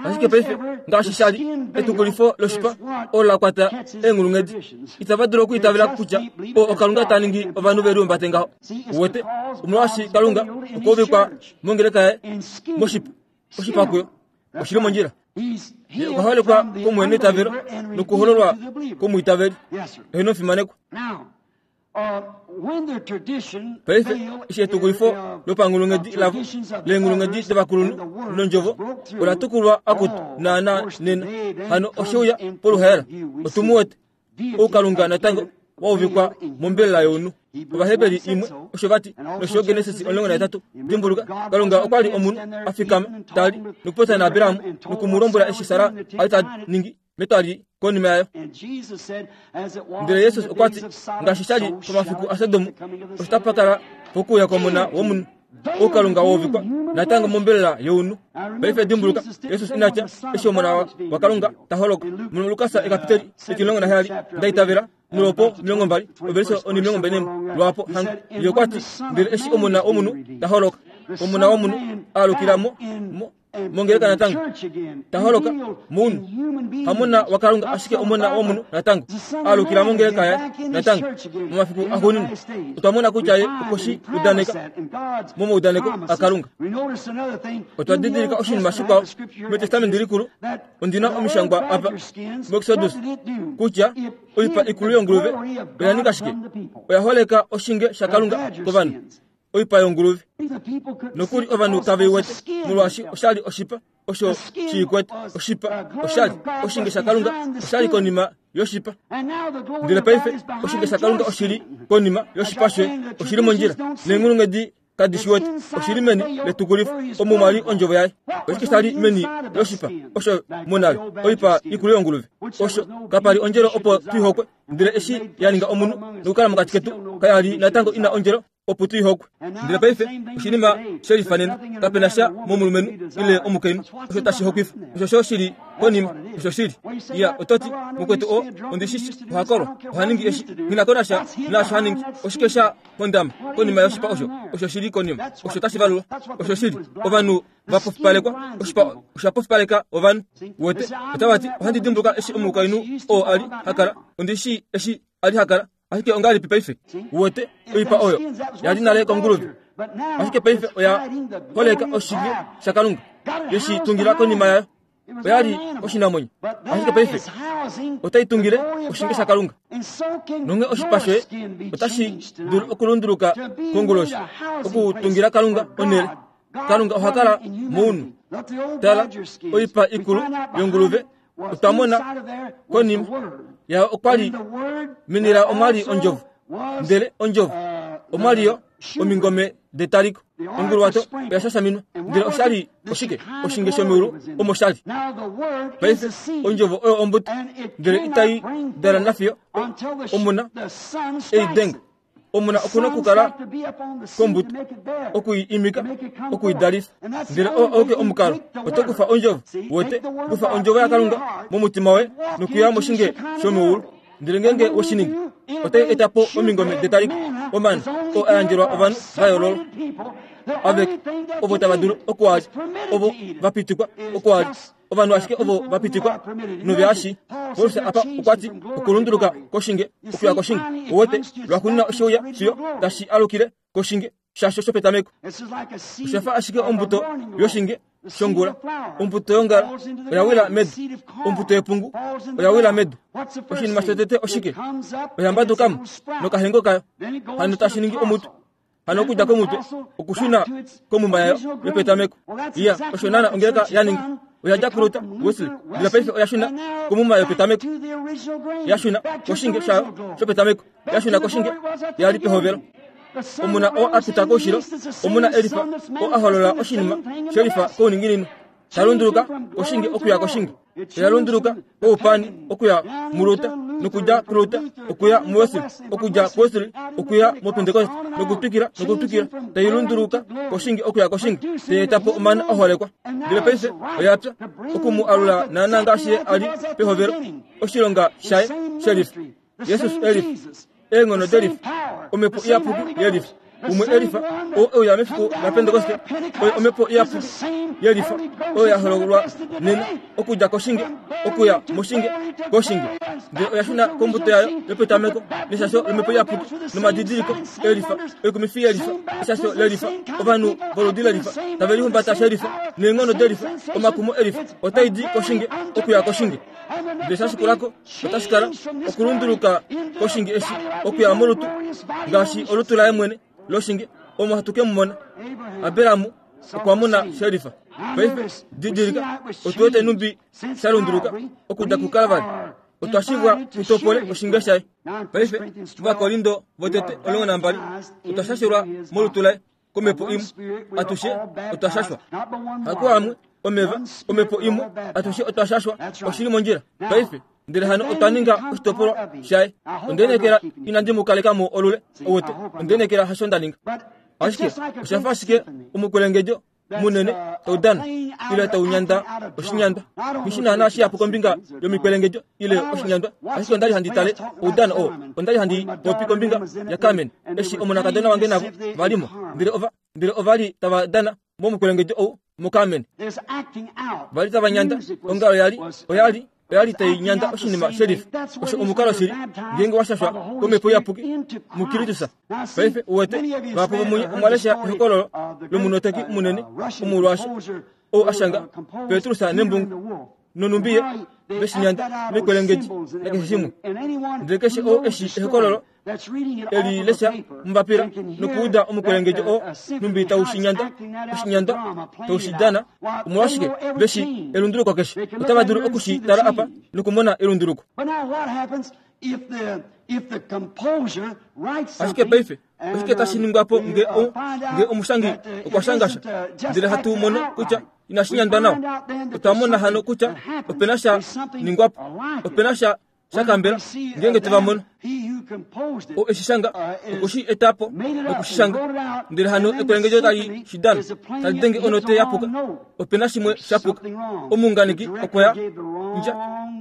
Ashike paife, ngaashi sha li etukulifo loshipa olo la kwata eenghulunghedi, itava dulu okwiitavela kutya oo oKalunga ta ningi ovanhu ve liumbate ngaho. Uwete, omolwaashi Kalunga okwa uvikwa mongeleka yaye moshipa, oshipa kuyo oshi li mondjila. Ye okwa holekwa komuheneitavelo nokuhololwa komwiitaveli. Eheno fimanekwa. Paife, eshi etukulifo lopanghulunghedi lavo leenghulunghedi dovakulunhu nondjovo ola tukulwa akutu naana nena, hano oshe uya poluhaela. Otu mu wete oukalunga natango wa uvikwa mombelela younhu. Ovaheberi imwe osho va ti, nosho yo Genesis 18. Dimbuluka, Kalunga okwa li omunhu a fikama, ta li nokupopya naAbraham noku mu lombwela eshi Sara a li ta ningi. metwali konima yayo. Ndele Jesus okwa ti, ngaashi sha li pomafiku aSodom, osho tapa kala pokuuya kwOmona wOmunhu. Oukalunga wa uvikwa natango mombelela younhu. Paife dimbuluka, Jesus ina tya, eshi Omona waKalunga ta holoka. MuLukas ekapiteli 17, nda itavela, nolwopo 20, ovelise 24, lwaapo hanga. Ye okwa ti, ndele eshi Omona wOmunhu ta holoka, Omona wOmunhu a alukila mo, mo, mongeleka natango ta holoka mounhu hamona wakalunga ashike omona womunhu natango alukila mongeleka yaye natango momafiku axuuninwa otwa mona kutya ye okwe shi udaneka momaudaneko akalunga otwa didilika oshinima shikwao metestamenti likulu ondi na omishangwa apa muexodus kutya oipa ikulu yonguluve oya ninga shike oya holeka oshinge shakalunga kovanhu oipa yonguluve. Nokuli ovanhu kave i wete, molwaashi osha li oshipa osho shi i kwete. Oshipa osha li oshinge shaKalunga, osha li konima yoshipa. Ndele paife oshinge shaKalunga oshi li konima yoshipa shoye, oshi li mondjila. Neenghulunghedi kadi shi wete, oshi li meni letukulifo, omo mwa li ondjovo yaye. Oshike sha li meni loshipa osho monale, oipa ikulu yonguluve? Osho kapa li ondjelo opo tu i hokwe. Ndele eshi ya ninga omunhu nokukala mokati ketu, kaya li natango ina ondjelo opo tu i hokwe. Ndele paife oshinima she lifanena, kape na sha momulumenhu ile omukainhu osho tashi hokwifa. Osho sho shi li konima, osho shili. Ya, oto ti, mukwetu oo, ondi shi shi, oha kolwa, oha ningi eshi, nghi na ko nasha naasho ha ningi. Oshike sha hondama konima yoshipa osho? Osho shi li konima, osho tashi valulwa. Osho shili. Ovanhu va pofipalekwa, oshipa osha pofipaleka ovanhu. Wete, otava ti, ohandi dimbuluka eshi omukainhu oo a li ha kala, ondi shii eshi a li ha kala. Ashike ongahelipi paife? Uwete, oipa oyo ya li nale konguluve, ashike paife oya holeka oshinge shaKalunga, ye shi tungila konima yayo. Oya li oshinamwenyo, ashike paife otai tungile oshinge shaKalunga. Nonghee oshipa shoye otashi dulu okulunduluka konguloshi, okutungila Kalunga onhele. Kalunga oha kala mounhu. Tala, oipa ikulu yonguluve otwa mona konima yayo okwa li meni layo omwa li ondjovo, ndele ondjovo omwa li yo omingome. detaliko. Onguluwato oya shashaminwa, ndele osha li oshike? Oshinge shomeulu omo sha li. Paife, ondjovo oyo ombuto, ndele itai dala nafiyo omuna ei denga. Omuna oku na okukala kombuto, oku i imika, oku i dalifa. Ndele oo auke omukalo. Oto kufa ondjovo, wete, kufa ondjovo yaKalunga momutima woye nokuya moshinge shomeulu. Ndele ngeenge we shi ningi, otai eta po omingome detaliko, omana, oo a yandjelwa ovanhu va yoololwa, aveke, ovo tava dulu oku a lya, ovo va pitikwa oku a lya, ovanhu ashike ovo va pitikwa nove a shii. Paulus apa okwa ti, okulunduluka koshinge okuya koshinge, uwete, lwaxuuninwa oshe uya fiyo tashi alukile koshinge shasho shopetameko. Osha fa ashike ombuto yoshinge shongula. Ombuto yongala oya wila medu. Ombuto yepungu oya wila medu. Oshinima shotete oshike? Oya mbaduka mo nokahengo kayo. Hano tashi ningi omutwe. Hano okudja komutwe okushuna komuma yayo yopetameko. Iya, osho naana ongeleka ya ninga. Oya dja kuLuther, Wesley, ndele paife oya shuna komuma yopetameko. Ya shuna koshinge shayo shopetameko. Ya shuna koshinge ya li pehovelo. Omuna oo a pita koushilo, omuna elifa oo a holola oshinima shelifa kouninginino, ta lunduluka koshinge okuya koshinge. Oya lunduluka koupani okuya muLuther, nokudja kuLuther okuya muWesley, okudja kuWesley okuya muPentekoste, nokutwikila nokutwikila, tai lunduluka koshinge okuya koshinge, tai eta po omana a holekwa. Ndele paife oya pya, oku mu alula naanaa ngaashi ye a li pehovelo, oshilonga shaye shelifa. Jesus elifa, eenghono delifa, Omhepo Iyapuki yelifa. Umwe elifa, oo e uya mefiku laPentekoste, oye Omhepo Iyapuki yelifa, oyo ya hololwa nena, okudja koshinge okuya moshinge, koshinge. Ndele oya shuna kombuto yayo yopetameko, neshasho lOmhepo Iyapuki, nomadidiliko elifa, oikumifi yelifa, eshasho lelifa, ovanhu voludi lelifa, tave lihumbata shelifa, neenghono delifa, omakumo elifa, otai di koshinge okuya koshinge. Ndele sha shikula ko, otashi kala okulunduluka koshinge eshi okuya molutu ngaashi olutu laye mwene loshinge omo hatu ke mu mona. Abraham okwa mona shelifa. Paife didilika, otu wete nhumbi sha lunduluka okudja kuKalvari. Otwa shivwa tu topole oshinge shaye. Paife, Ovakorinto votete 12, otwa shashelwa molutu laye komhepo imwe atushe otwa shashwa. Hakuamwe omeva, omhepo imwe atushe otwa shashwa. Oshi li mondjila paife. Ndele hano otwa ninga oshitopolwa shaye. Onde lineekela inandi mu kaleka mo olule, ouwete. Onde lineekela hasho nda ninga. Ashike osha fa ashike omukwelengedjo munene tau dana ile tau nyanda oshinyandwa. Nghi naanaa shihapu kombinga yomikwelengedjo ile oshinyandwa, ashike onda li handi tale oudano oo. Onda li handi popi kombinga yaCarmen eshi omonakadona wange navo va li mo, ndele ova, ndele ova li tava dana momukwelengedjo ou muCarmen. Va li tava nyanda, ongalo ya li, oya li, oya li tai nyanda oshinima shelifa. Osho omukalo shili, ngeenge wa shashwa komhepo iyapuki muKristus. Paife, uwete, vahapu vomunye omwa lesha ehokololo lomunoteki munene omolwaashi ou a shanga Petrus nembungu nonhumbi ye veshinyanda mekwelengedji nakeshe shimwe. Ndele keshe ou eshi ehokololo eli lesha mombapila nokuuda omukwelengedjo oo nhumbi tau shi nyanda oshinyandwa tau shi dana, omolwashike ve shi elunduluko keshe otava dulu oku shi tala apa nokumona elunduluko. Ashike paife oshike tashi ningwa po nge o, nge omushangi okwa shanga sha ndele hatu mono kutya inashi nyandwa nawa? Otwa mona hano kutya ope na sha ningwa po, ope na sha sha kambela ngeenge te va mono. O eshi shanga oku shi eta po noku shi shanga, ndele hano ekwelengedjo tali shi dana, tali denge onote ya puka. Ope na shimwe sha puka. Omuunganeki okwa ya ndja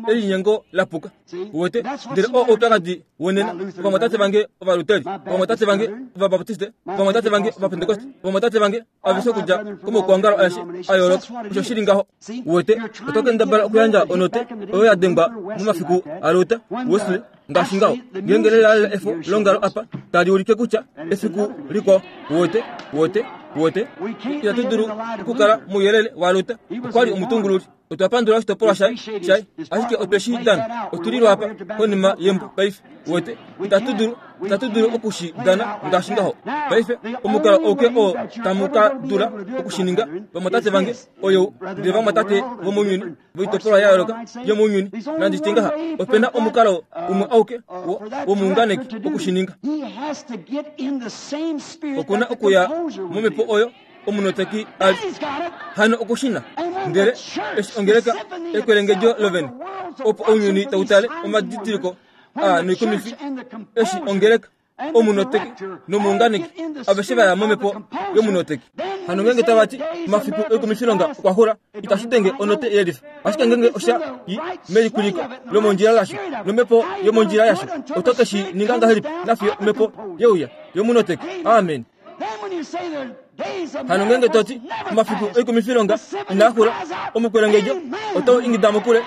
elinyengo la puka. Uwete? Ndele oo oupyakadi wonena. Ovamwatate vange Ovaluteri, ovamwatate vange Ovabaptiste, ovamwatate vange Ovapentekoste, ovamwatate vange aveshe okudja komaukwaongalo aeshe a yooloka. Osho shi li ngaho. Uwete, oto kendabala okuyandja onote oyo ya dengwa momafiku aLuther, Wesley, ngaashi ngaho. Ngeenge lelalela efo longalo apa tali ulike kutya efiku likwao. Uwete, uwete, uwete, itatu dulu okukala mouyelele waLuther. Okwa li omutungululi. Otwa pandula oshitopolwa shaye, shaye, ashike otwe shi dana. Otu li lwaapa konima yembo paife. Uwete, itatu dulu, itatu dulu oku shi dana ngaashi ngaho. Paife, omukalo auke oo tamu ka dula oku shi ninga, vamwatate vange, oyou, ndele vamwatate vomounyuni, voitopolwa ya yooloka yomounyuni, nandi tye ngaha, ope na omukalo umwe auke wo, womuunganeki oku shi ninga. Oku na okuya momhepo oyo omunoteki a li hano okushina ndele eshi ongeleka ekwelengedjo lovene opo ounyuni tau tale omadidiliko a noikumifi eshi ongeleka omunoteki nomuunganeki aveshe va ya momhepo yomunoteki hano ngenge tava ti omafiku oikumifilonga okwa xula itashi denge onote yelifa ashike ngenge osha i melikuliko lomondjila lasho nomhepo yomondjila yasho oto ke shi ninga ngahelipi nafiyo omhepo yeuya yomunoteki amen Hano ngenge to ti, omafiku oikumifilonga inaa xula, omukwelengedjo otau ingida mokule,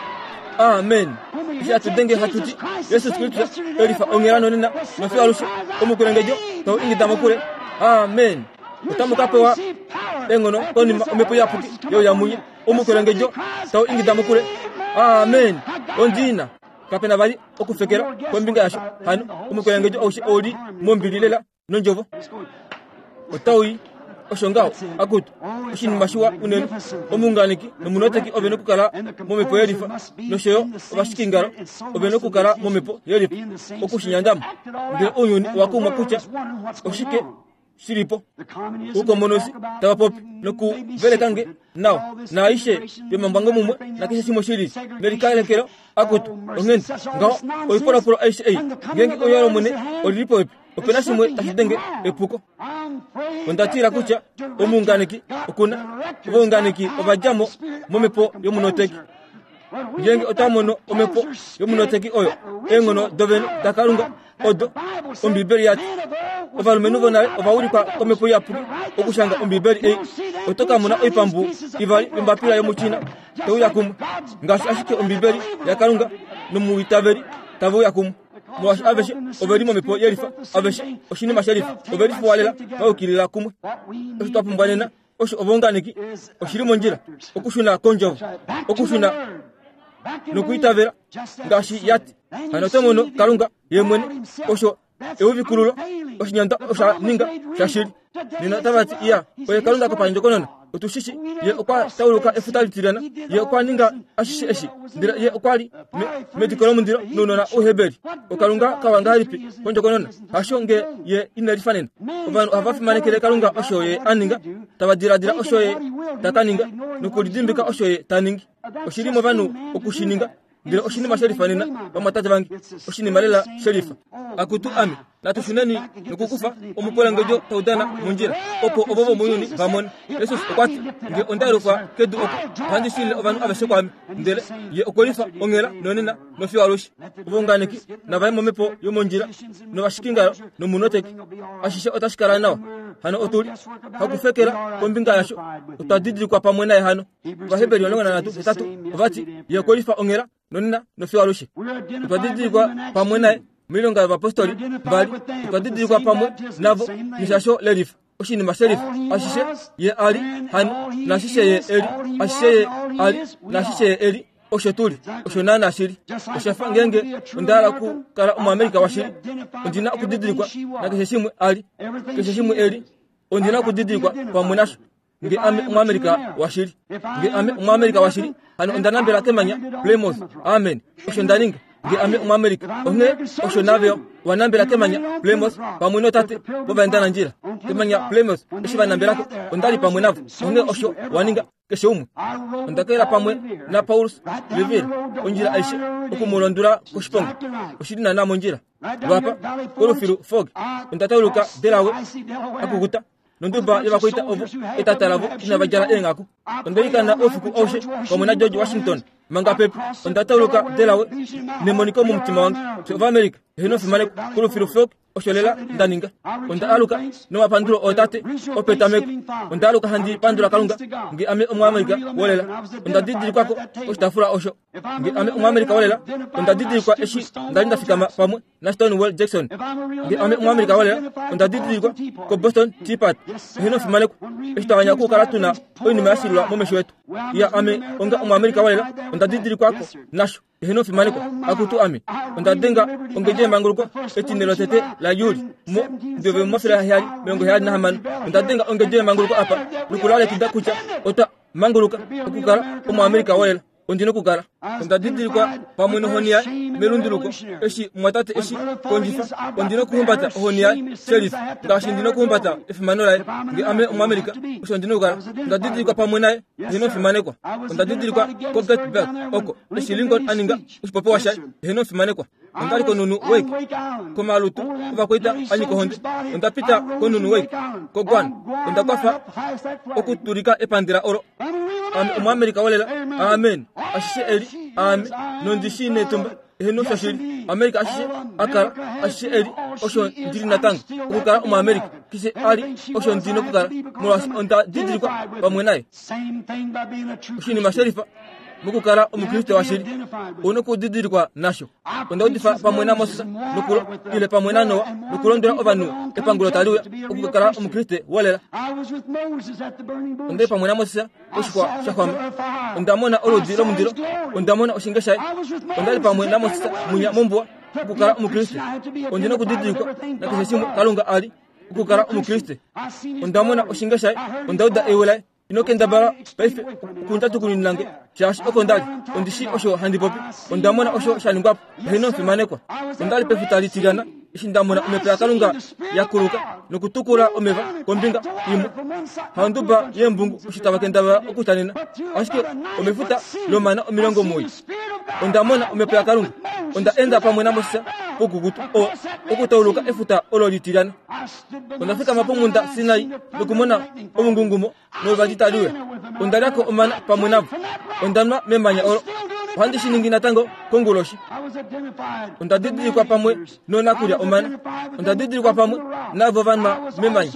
Amen! Eshi hatu denge hatu ti, Jesus Kristus e lifa onghela nonena nofiyo alushe, omukwelengedjo tau ingida mokule, Amen! Otamu ka pewa eenghono konima omhepo iyapuki yeuya munye, omukwelengedjo tau ingida mokule, Amen! Ondina! Kape na vali okufekela kombinga yasho. Hano omukwelengedjo aushe ou li mombili lela nondjovo otau i osho ngaho akutu oshinima shiwa unene omuunganeki nomunoteki ove nokukala momhepo yelifa nosho yo ovashikingalo ove nokukala momhepo yelifa oku shi nyandamo ndele ounyuni owa kumwa kutya oshike shi li po oukomonosi tava popi nokuveleka nge nawa naaishe yomambwango mumwe nakeshe shimwe shi lili nelikalekelo akutu onghenda ngaho oipolopolo aishe ei ngeenge ouya lomwene oli li popepi ope na shimwe tashi denge epuko. Onda tila kutya omuunganeki oku na ovaunganeki ova dja mo momhepo yomunoteki. Ngeenge otwa mono omhepo yomunoteki oyo, eenghono dovene daKalunga odo Ombibeli ya ti, ovalumenhu vonale ova ulikwa komhepo iyapuki okushanga Ombibeli ei, oto ka mona oipambu ivali yombapila yomuChina te uya kumwe, ngaashi ashike Ombibeli yaKalunga nomuitaveli tave uya kumwe. Molwaashi aveshe ove li momhepo yelifa, aveshe oshinima shelifa, ove lifuwa lela va yukilila kumwe. Osho twa pumbwa nena osho ovaunganeki, oshi li mondjila okushuna kondjovo, okushuna nokwiitavela ngaashi ya ti. Hano oto mono Kalunga ye mwene osho euvikululo oshinyandwa osha ninga shashili. Nena otava ti, Iya, oye Kalunga kopandjokonona. Otu shi shi, Ye okwa tauluka efuta litilyana. Ye okwa ninga ashishe eshi. Ndele Ye okwa li me, mediko lomundilo nounona Ouheberi. OKalunga kawa ngahelipi kondjokonona? Hasho nge Ye ine lifa nena. Ovanhu ohava fimanekele Kalunga osho Ye a ninga, tava diladila osho Ye ta ka ninga, nokulidimbika osho Ye ta ningi. Oshi li movanhu oku shi ninga. Ndele oshinima she lifa nena, vamwatate vange, oshinima lela she lifa. Akutu ame, natu shuneni nokukufa omukwelengedjo tau dana mondjila, opo ovo vomounyuni va mone. Jesus okwa ti, Nge onda yelufwa kedu oku, ohandi shilile ovanhu aveshe kwaame. Ndele Ye okwe lifa onghela nonena nofiyo alushe. Ovaunganeki nava ye momhepo yomondjila, novashikingalo nomunoteki. Ashishe otashi kala nawa. Hano otu li hakufekela kombinga yasho. Otwa didilikwa pamwe naye hano. Ovaheberi 13 ova ti, Ye okwe lifa onghela nonena nofiyo alushe. Otwa didilikwa pamwe naye moilonga yovapostoli mbali. Otwa didilikwa pamwe navo neshasho lelifa, oshinima shelifa. Ashishe ye a li hano, naashishe ye e li, ashishe ye a li, naashishe ye e li, osho tu li, osho naanaa shi li. Osha fa ngeenge onda hala okukala Omuamerika washili, ondi na okudidilikwa nakeshe shimwe a li, keshe shimwe e li, ondi na okudidilikwa pamwe nasho. Nge ame Omuamerika washili. Nge ame Omuamerika washili, hano onda nambela kemanya Plymouth. Amen. Osho nda ninga. Nge ame Omuamerika. Onghee osho nave wa nambela kemanya Plymouth pamwe nootate vovaendanandjila. Kemanya Plymouth, eshi va nambelako, onda li pamwe navo. Onghee osho wa ninga, keshe umwe. Onda kela pamwe naPaulus Revere ondjila aishe oku mu londula koshiponga. Oshi li naanaa mondjila. Lwapa, kolufilu Fog, onda tauluka Delaware, akukuta. nonduba yovakwaita ovo etata lavo inava djala eenghaku. Onda ilikana oufiku aushe pamwe naGeorge Washington. Manga pepi, onda tauluka Delaware nemoniko momutima wange. Fye Ovaamerica, eheno fimaneko kolufilu Folk, osho lela nda ninga. Onda aluka nomapandulo ootate opetameko. Onda aluka handi pandula Kalunga nge ame Omuamerica wolela. Onda didilikwako koshitaafula osho. Nge ame Omuamerica wolela, onda didilikwa eshi nda li nda fikama pamwe naStonewall Jackson. Nge ame Omuamerica wolela, onda didilikwa koBoston Tea Party. Eheno fimaneko eshi twa anya okukala tu na oinima ya shililwa momesho etu. Ya ame onga Omuamerica wolela, onda didilikwako nasho. Eheno fimaneko, akutu ame. Onda denga ongedje yemanguluko etine lotete laJuli mo 1776. Onda denga ongedje yemanguluko apa nokulalekida kutya otwa manguluka okukala Omuamerica wolela. Ondi nokukala onda didilikwa pamwe nohoni yaye melunduluko eshi mwatate eshi kondjifa. Ondi nokuhumbata ohoni yaye shelifa ngaashi ndi nokuhumbata efimano laye. Nge ame Omuamerica, osho ndi nokukala onda didilikwa pamwe naye. Eheno fimanekwa. Onda didilikwa koGettysburg oko eshi Lincoln a ninga oshipopiwa shaye. Eheno fimanekwa. Onda li konhunhu Wake komalutu ovakwaita a nyika ohonde. Onda pita konhunhu Wake koGuam. Onda kwafa okutulika epandela olo. Ame Omuamerica wolela. Amen. Ashishe eli, aame, nondi shii netumba. Eheno shoshili. America ashishe a kala, ashishe eli, osho ndi li natango. Okukala Omuamerica, keshe a li, osho ndi nokukala, molwaashi onda didilikwa pamwe naye. Oshinima shelifa mokukala Omukriste washili, ou nokudidilikwa nasho. Onda udifa pamwe naMoses nokulo, ile pamwe naNoa nokulondwela ovanhu epangulo tali uya, okukala Omukriste wolela. Onda li pamwe naMoses poshixwa sha xwama. Onda mona oludi lomundilo. Onda mona oshinge shaye. Onda li pamwe naMoses mwinya mombuwa, okukala Omukriste. Ondi nokudidilikwa nakeshe shimwe Kalunga a li, okukala Omukriste. Onda mona oshinge shaye. Onda uda ewi laye. Ino kendabala paife okundjatukuninina nge, shaashi oko nda li. Ondi shii osho handi popi. Onda mona osho sha ningwa po. Eheno fimanekwa. Onda li pefuta litilyana eshi nda mona omhepo yaKalunga ya kuluka nokutukula omeva kombinga imwe. Haonduba yeembungu osho tava kendabala okutanena, ashike omefuta lomana 90. Onda mona omhepo yaKalunga. Onda enda pamwe naMoses poukukutu oo okutauluka efuta olo litilyana. Onda fikama pomhunda Sinai nokumona omungungumo novadi tali uya. Onda lya ko omana pamwe navo. Onda nwa memanya olo. Ohandi shi ningi natango konguloshi. Onda didilikwa pamwe noonakulya omana. Onda didilikwa pamwe naavo va nwa memanya.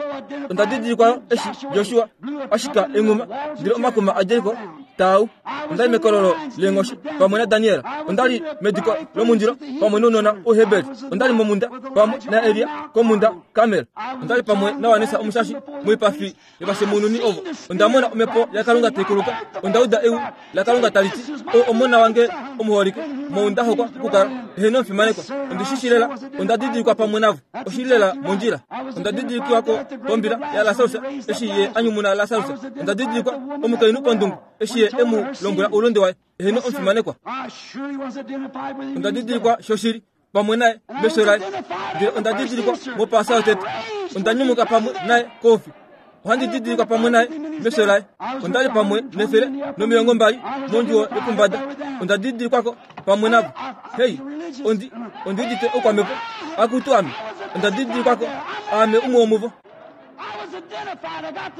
Onda didilikwa eshi Josua a shika enghuma ndele omakuma aJeriko taa u. Onda li mekololo leenghoshi pamwe naDaniel. Onda li mediko lomundilo pamwe nounona Ouheberi. Onda li momunda pamwe naElia komhunda Karmel. Onda li pamwe naWanessa omushashi moipafi yovashemununi ovo. Onda mona omhepo yaKalunga tai kuluka. Onda uda ewi laKalunga tali ti, Ou omona wange omuholike, mou nda hokwa okukala. Eheno omufimanekwa, ondi shi shii lela. Onda didilikwa pamwe navo. Oshi li lela mondjila. Onda didilikiwa ko kombila yaLasarus eshi ye a nyumuna Lasarus. Onda didilikwa omukainhu pondungu eshi ye e mu lombwela oulunde waye. Eheno omufimanekwa. Onda didilikwa shoshili pamwe naye mesho laye. Ndele onda didilikwa mOpaasa yotete. Onda nyumuka pamwe naye koufi. Ohandi didilikwa pamwe naye mesho laye. Onda li pamwe ne120 mondjuwo yopombada. Onda didilikwako pamwe navo. Hei, ondi, ondi udite oukwamhepo. Akutu ame, onda didilikwako, aame umwe womuvo.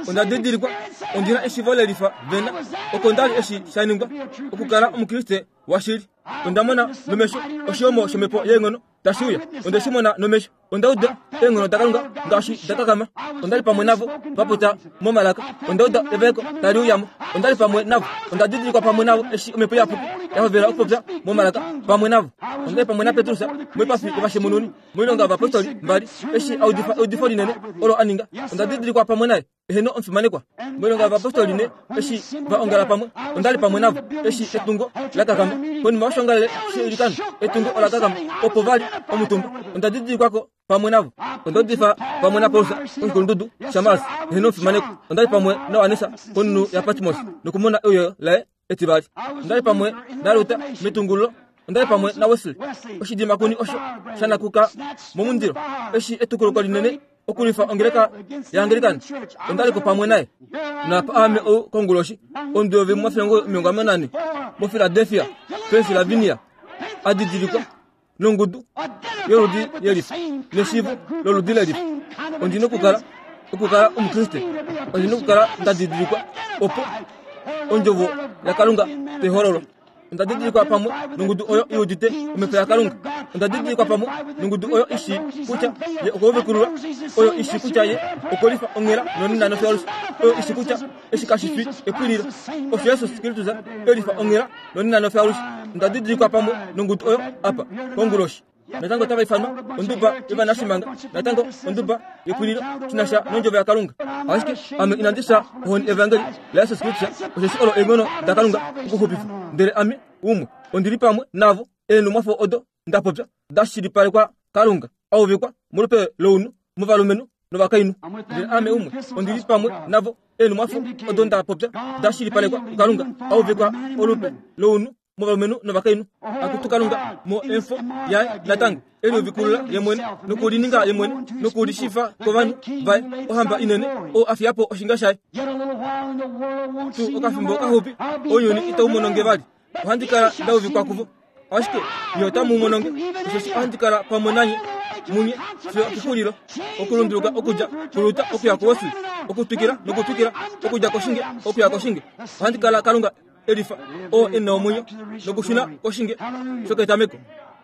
Onda didilikwa, ondi na eshivo lelifa vena, oko nda li eshi sha ningwa, okukala Omukriste washili. Onda mona nomesho oshihomo shomhepo yeenghono tashi uya. Onde shi mona nomesho. Onda uda eenghono daKalunga ngaashi da kakama. Onda li pamwe navo va popya momalaka. Onda uda evaeko tali uya mo. Onda li pamwe navo. Onda didilikwa pamwe navo eshi Omhepo Iyapuki ya hovela okupopya momalaka pamwe navo. Onda li pamwe naPetrus moipafi yovashemununi moilonga yovapostoli mbali eshi a udifa eudifo linene olo a ninga. Onda didilikwa pamwe naye. Eheno omufimanekwa. Moilonga yovapostoli ne eshi va ongala pamwe, onda li pamwe navo eshi etungo la kakama. Konima yoshoongalele sheilikano, etungo ola kakama opo va li omutumba. Onda didilikwa ko pamwe navo. Onda udifa pamwe naPaulus koshikulundudu shaMars. Eheno omufimanekwa. Onda li pamwe naJohannes konhunhu yaPatmos nokumona euyo laye etivali. Onda li pamwe naLuther metungululo. Onda li pamwe naWesley, oshidimakuni osho sha nakuka momundilo eshi etukuluko linene okulwifa ongeleka yaAnglican. Onda li ko pamwe naye. Naapa aame ou konguloshi, omudovi mo1944 moPhiladelphia, Pennsylvania, a didilikwa nongudu yoludi yelifa neshiivo loludi lelifa. Ondi nokukala okukala Omukriste, ondi nokukala nda didilikwa opo ondjovo yaKalunga tai hololwa. Onda didilikwa pamwe nongudu oyo i udite omhepo yaKalunga. Onda didilikwa pamwe nongudu oyo i shii kutya ye okwa uvikululwa, oyo i shii kutya ye okwe lifa onghela nonena nofyalushe, oyo i shii kutya eshi kashi fi epwililo. Osho Jesus Kristus e lifa onghela nonena nofyalushe. Onda didilikwa pamwe nongudu oyo apa konguloshi. Natango otava ifanwa onduba yovanashimanga, natango onduba yepwililo shi na sha nondjovo yaKalunga. Ashike ame inandi fya ohoni evangeli laJesus Kristus, osheshi olo eenghono daKalunga okuxupifa. Ndele ame umwe ondi li pamwe navo, eenhumwafo odo nda popya da shilipalekwa Kalunga, a uvikwa molupe lounhu movalumenhu novakainhu. Ndele ame umwe ondi li pamwe navo, eenhumwafo odo nda popya da shilipalekwa kuKalunga, a uvikwa olupe lounhu movalumenhu novakainhu. Akutu Kalunga, mo emfo yaye natango e liuvikulula ye mwene nokulininga ye mwene nokulishifa kovanhu vaye, ohamba inene, oo a fiya po oshinga shaye. Tuu okafimbo kaxupi, ounyuni itau mono nge vali. Ohandi kala nda uvikwa kuvo. Ashike nye otamu mono nge, osheshi ohandi kala pamwe nanye munye fiyo okexulilo. Okulunduluka okudja kuLuther okuya kuWesley, okutwikila nokutwikila, okudja koshinge okuya koshinge. Ohandi kala Kalunga elifa oo e na omwenyo nokushuna koshinge shoketameko.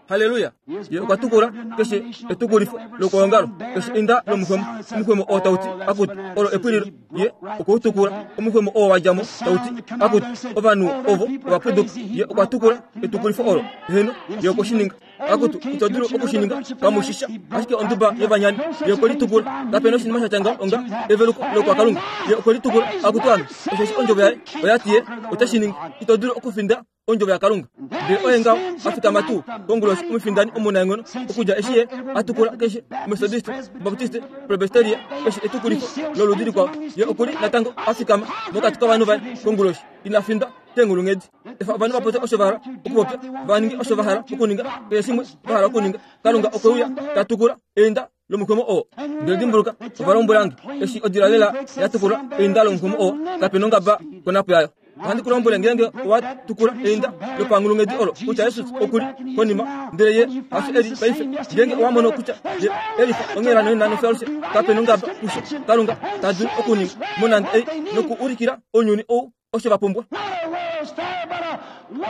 Halleluya! Ye okwa tukula keshe etukulifo lokwoongalo, keshe einda lomuxwemo, omuxwemo oo tau ti, Akutu, olo epwililo. Ye okwe u tukula. Omuxwemo oo wa dja mo tau ti, Akutu, ovanhu ovo ova puduka. Ye okwa tukula etukulifo olo. Heeno, ye okwe shi ninga. Akutu, ito dulu oku shi ninga, kamu shi sha, ashike onduba yovanyani. Ye okwe litukula. Kape na oshinima sha tya ngaho onga eveluko lokwakalunga. Ye okwe litukula. Akutu ame, osheshi ondjovo yaye oya ti ye ote shi ningi. Ito dulu okufinda ondjovo yaKalunga. Ndele oye ngaho a fikama tuu konguloshi omufindani omunaenghono okudja eshi ye a tukula keshe Ometodiste, Obaptiste, Presbyteria, keshe etukulifo loludi likwao. Ye oku li natango a fikama mokati kovanhu vaye konguloshi. Ina findwa keenghulunghedi. Efa ovanhu va popye osho va hala okupopya, va ninge osho va hala okuninga, keshe shimwe va hala okuninga. Kalunga okwe uya ta tukula einda lomuxwemo oo. Ndele dimbuluka, ova lombwela nge, eshi odila lela ya tukula einda lomuxwemo oo, kape nongaba konapo yayo. Ohandi ku lombwele, ngeenge owa tukula einda lopanghulunghedi olo kutya Jesus oku li konima, ndele ye hasho e li paife, ngeenge owa mono kutya ye e lifa onghela nonena nofyalushe, kape nongaba kusho Kalunga ta dulu okuninga monande ei nokuulikila ounyuni ou osho va pumbwa.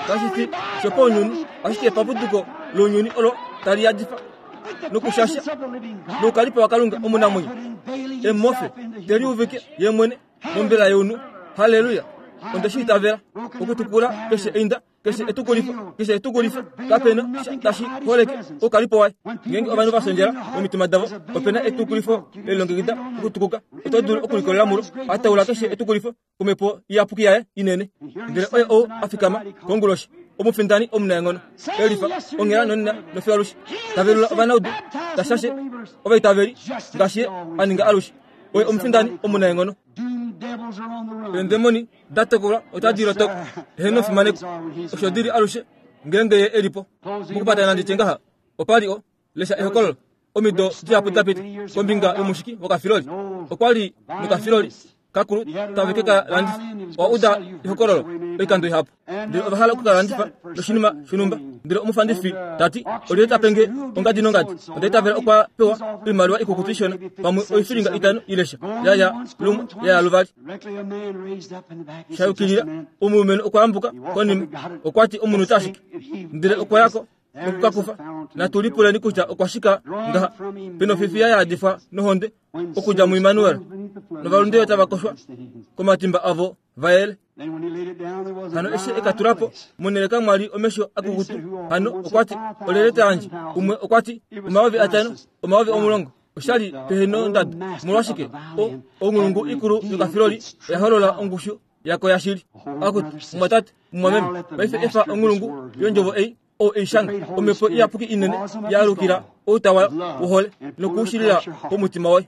Kashi fi shopaunyuni, ashike epapuduko lounyuni olo tali yadifa nokushasha noukalipo waKalunga omunamwenyo. Emofe te liuvike ye mwene mombela younhu. Halleluya! Onde shi itavela. Okutukula keshe einda keshe etukulifo, keshe etukulifo, kape na sha tashi holeke oukalipo waye. Ngeenge ovanhu va sondjela momitima davo, ope na etukulifo lelilongekida okutukuka. Oto dulu okulikolela mulo. A taula keshe etukulifo komhepo iyapuki yaye inene. Ndele oye ou a fikama konguloshi, omufindani omunaenghono, elifa onghela nonena nofiyo alushe, ta velula ovanaudu, ta shashe ovaitaveli ngaashi ye a ninga alushe. Oye omufindani omunaenghono. Eendemoni da tokolwa otadi lotoka, eheno fimaneko, osho di li alushe ngeenge ye e li po. Mokupatana nandi tye ngaha, opa li o, lesha ehokololo, omido dihapu da pita, kombinga yomushiki wokafiloli. Okwa li nokafiloli kakulu tave ke ka landifa. Owa uda ehokololo oikando ihapu. Ndele ova hala oku ka landifa noshinima shonhumba. Ndele omufandifi ta ti, Olyelye ta pe nge ongadi nongadi? Onda itavela okwa pewa oimaliwa ikukutu ishona, pamwe oifilinga itano ile sha. Ya ya lumwe, ya ya luvali. Sha yukilila, omulumenhu okwa yambuka konima. Okwa ti, Omunhu ta shiki. Ndele okwa ya ko noku ka kufa. Natu lipuleni kutya okwa shika ngaha. Penofifiya ya yadifwa nohonde okudja muImmanuel, novalundile tava koshwa komatimba avo va yele. Hano eshi e ka tula po, monhele kamwa li omesho akukutu. Hano okwa ti, Olyelye ta yandje? Umwe okwa ti, 5000, 10,000. Osha li pehe nondado. Omolwashike? O, onghulungu ikulu yokafiloli oya holola ongushu yako yashili. Akutu, mumwatate, mumwameme, paife efa onghulungu yondjovo ei ou ei shanga, omhepo iyapuki inene ya alukila outa wayo wohole nokuushilila pomutima woye.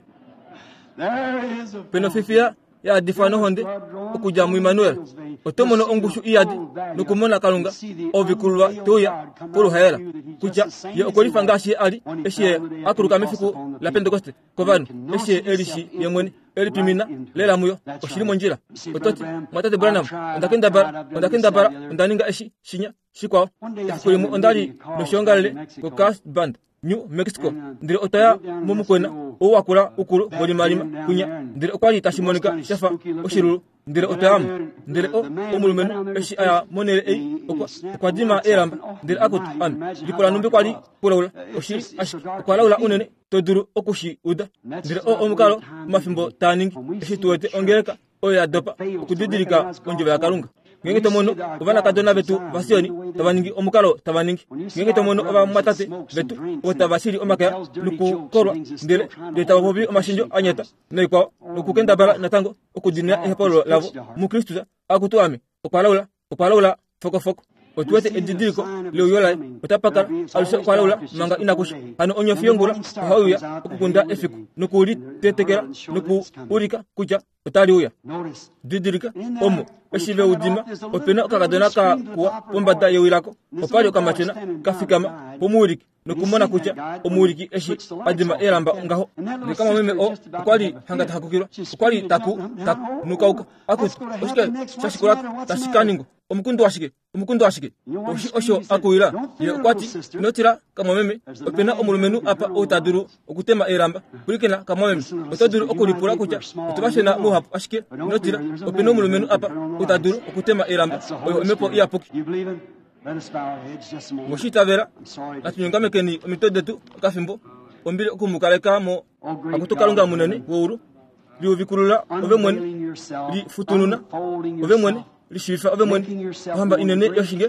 Penofifiya ya yadifwa nohonde okudja muImmanuel, oto mono ongushu iyadi nokumona Kalunga ovikululwa te uya poluhaela, kutya ye okwe lifa ngaashi ye a li eshi ye a kuluka mefiku laPentekoste kovanhu, eshi ye e lishi ye mwene e lipimina lela muyo. Oshi li mondjila. Oto ti, Mwatate Branham, onda kendabala, onda kendabala, onda ninga eshi, shinya, shikwao. Efiku limwe onda li noshoongalele koCarlsbad. New Mexico. Ndele otwa ya momukwena ou wakula ukulu wolimalima kwinya, ndele okwa li tashi monika sha fa oshilulu. Ndele otwa ya mo. Ndele o, omulumenhu eshi a ya monhele ei, okwa, okwa dima eelamba. Ndele akutu, ame, lipula numbi kwa li kulaula. Oshili, ashike okwa laula unene to dulu oku shi uda. Ndele oo omukalo omafimbo taa ningi, eshi tu wete ongeleka oyo ya dopa okudidilika ondjovo yaKalunga. Ngeenge to mono ovanakadona vetu vaSioni tava ningi omukalo tava ningi, ngeenge to mono ovamwatate vetu ovo tava shili omakaya nokukolwa, ndele ndele tava popi omashendjo a nyata noikwao, nokukendabala natango okudina ehokololo lavo muKristus, akutu ame, okwa laula, okwa laula fokofoko. Otu wete edidiliko leuyo laye, otapa kala alushe okwa laula manga inaku sha. Hano onyofi yongula ohai uya okukunda efiku noku li tetekela noku ulika kutya otali uya. Didilika, omo eshi ve u dima, ope na okakadona ka kuwa pombada yewi lako. Opa li okamatyona ka fikama pomuwiliki nokumona kutya omuwiliki eshi a dima eelamba ngaho. Ndele kamwameme oo okwa li hanga ta hakukilwa, okwa li taku taku nukauka. Akutu, oshike sha shikula tashi ka ningwa? Omukundu washike? Omukundu washike? Oshi osho a kuwila. Ye okwa ti, Ino tila, kamwameme, ope na omulumenhu apa ou ta dulu okutema eelamba. Pwilikina, kamwameme, oto dulu okulipula kutya otu va shena mouhapu, ashike ino tila, ope na omulumenhu apa ou ta dulu okutema eelamba. Oyo Omhepo Iyapuki. Mwe shi itavela? Natu nyongamekeni omitwe detu okafimbo. Ombili oku mu kaleka mo. Akutu Kalunga munene weulu, liuvikulula ove mwene, lifutununa ove mwene, lishiivifa ove mwene, ohamba inene yoshinge,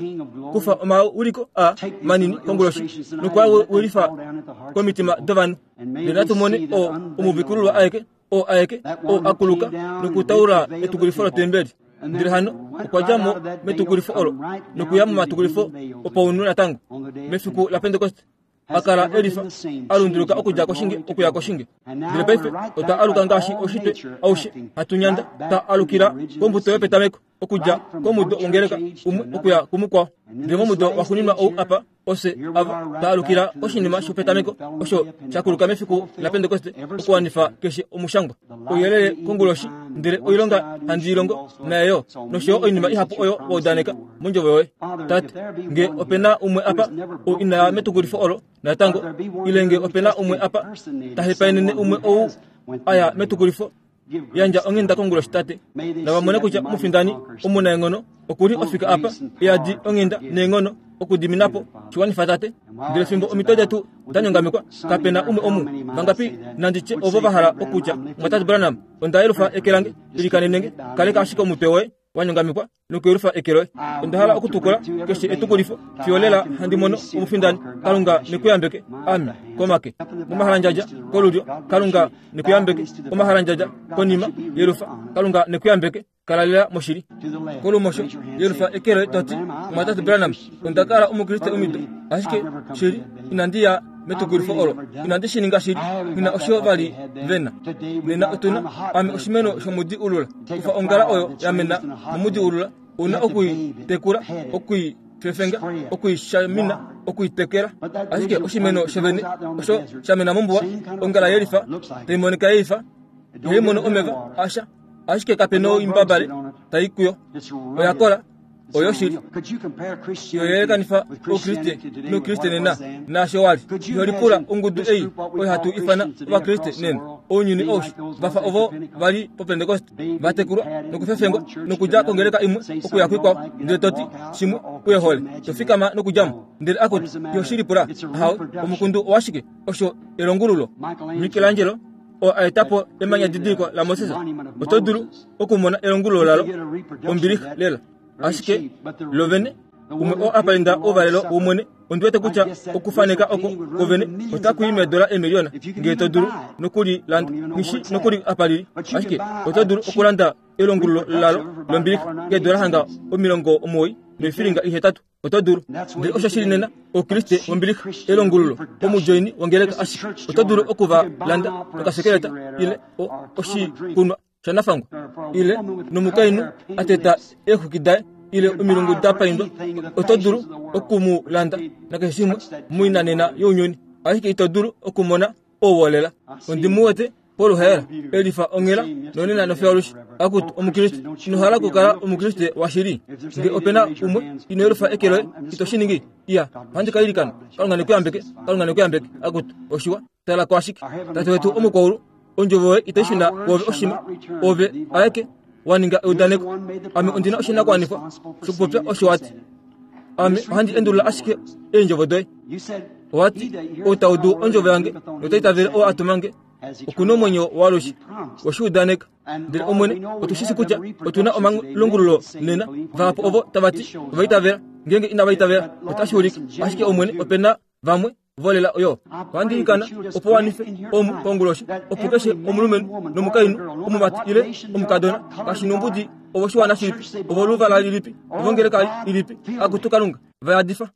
kufa omauliko a manini konguloshi noku a wilifa komitima dovanhu. Ndele natu mone oo omuuvikululwa aeke, oo aeke, oo a kuluka nokutaula etukulifo lotembeli. Ndele hano okwa dja mo metukulifo olo nokuya momatukulifo opaunhu natango mefiku laPentekoste. a kala e lifa, a lunduluka okudja koshinge okuya koshinge. Ndele paife otwa aluka ngaashi oushitwe aushe hatu nyanda, twa alukila kombuto yopetameko, okudja komudo wongeleka umwe okuya kumukwao. Ndele momudo waxuuninwa ou apa, ofye ava twa alukila koshinima shopetameko osho sha kuluka mefiku laPentekoste okuwanifa keshe omushangwa. Ouyelele konguloshi, ndele oilonga handi i longo naye yo, nosho yo oinima ihapu oyo wa udaneka mondjovo yoye. Tate, nge ope na umwe apa ou ina ya metukulifo olo natango, ile nge ope na umwe apa ta hepaenene umwe ou a ya metukulifo, yandja onghenda konguloshi, Tate. Nava mone kutya omufindani omunaenghono oku li ofika apa, e yadi onghenda neenghono okudimina po. Shi wanifa, Tate. Ndele fimbo omitwe detu da nyongamekwa, kape na umwe omu, vangapi nandi tye ovo va hala okutya, Mwatate Branham, onda yelufa eke lange, ilikanene nge. Kaleka ashike omutwe woye wa nyongamekwa nokuyelufa eke loye. Onda hala okutukula keshe etukulifo fiyo lela handi mono omufindani. Kalunga ne ku yambeke. Ame, komake. Momahalandjadja, kolulyo. Kalunga ne ku yambeke. Omahalandjadja, konima, yelufa. Kalunga ne ku yambeke. Kala lela moshili. Kolumosho, yelufa eke loye to ti, Omwatate Branham, onda kala Omukriste omido, ashike shili inandi ya metukulifo olo. Inandi shi ninga shili. Nghi na osho va li ve na. Nena otu na, ame oshimeno shomudi ulula. Kufa ongala oyo ya mena momudi ulula, ou na oku i tekula, oku i fefenga, oku i shamina, oku i tekela. Ashike oshimeno shovene osho sha mena mombuwa, ongala ye lifa, tai monika ye ifa, ihai mono omeva asha, ashike kape noimbabale tai kuyo. Oya kola. Oyoshili. Iho yelekanifa Oukriste nOukriste nena naasho wa li. Iho lipula ongudu ei oyo hatu ifana Ovakriste nena, ounyuni aushe, va fa ovo va li pOpentekoste, va tekulwa nokufefengwa nokudja kongeleka imwe okuya kuikwao, ndele to ti, Shimwe uye hole, to fikama nokudja mo. Ndele akutu, iho shi lipula. Ahawe, omukundu owashike? Osho elongululo. Michelangelo oo a eta po emanya didiliko laMoses, oto dulu okumona elongululo lalo ombilixa lela. Ashike lo vene, umwe oo a painda ouvalelo wOmwene, ondi wete kutya okufaneka oko ko vene otaku i meedola eemiliyona, ngee to dulu nokuli landa. Nghi shi nokuli apa li li, ashike oto dulu okulanda elongululo lalo lombilixa keedola hanga 98. Oto dulu. Ndele osho shili nena, Oukriste wombilixa, elongululo, omudjoini wongeleka ashike. Oto dulu oku va landa nokasekeleta ile o, oshikunwa shanafangwa, ile nomukainhu a teta eexwiki daye ile omilungu da paindwa. Oto dulu oku mu landa nakeshe shimwe moinanena younyuni, ashike ito dulu okumona ouwolela. Ondi mu wete. poluhaela, elifa onghela nonena nofiyaalushe. Akutu, Omukriste, ino hala okukala Omukriste washili? Nge ope na umwe ino yelufa eke loye, ito shi ningi? Iya, ohandi ka ilikana. Kalunga ne ku yambeke. Kalunga ne ku yambeke. Akutu, oshiwa. Tala ko ashike. Tate wetu omukwaulu, ondjovo yoye itai shuna kwoove oshima. Ove aeke wa ninga eudaneko. Ame ondi na oshinakuwanifwa shokupopya osho wa ti. Ame ohandi endulula ashike eendjovo doye. Owa ti, Ou ta udu ondjovo yange nota itavele oo a tuma nge, oku na omwenyo waalushe. We shi udaneka. Ndele Omwene, otu shi shii kutya otu na omalongululo nena. Vahapu ovo tava ti ova itavela, ngeenge inava itavela, otashi ulike. Ashike Omwene, ope na vamwe volela oyo. Ohandi ilikana opo wanife omu konguloshi, opo keshe omulumenhu nomukainhu, omumati ile omukadona, kashi nombudi ovoshiwana shilipi, ovoluvala lilipi, ovongeleka ilipi, akutu Kalunga, va yadifa.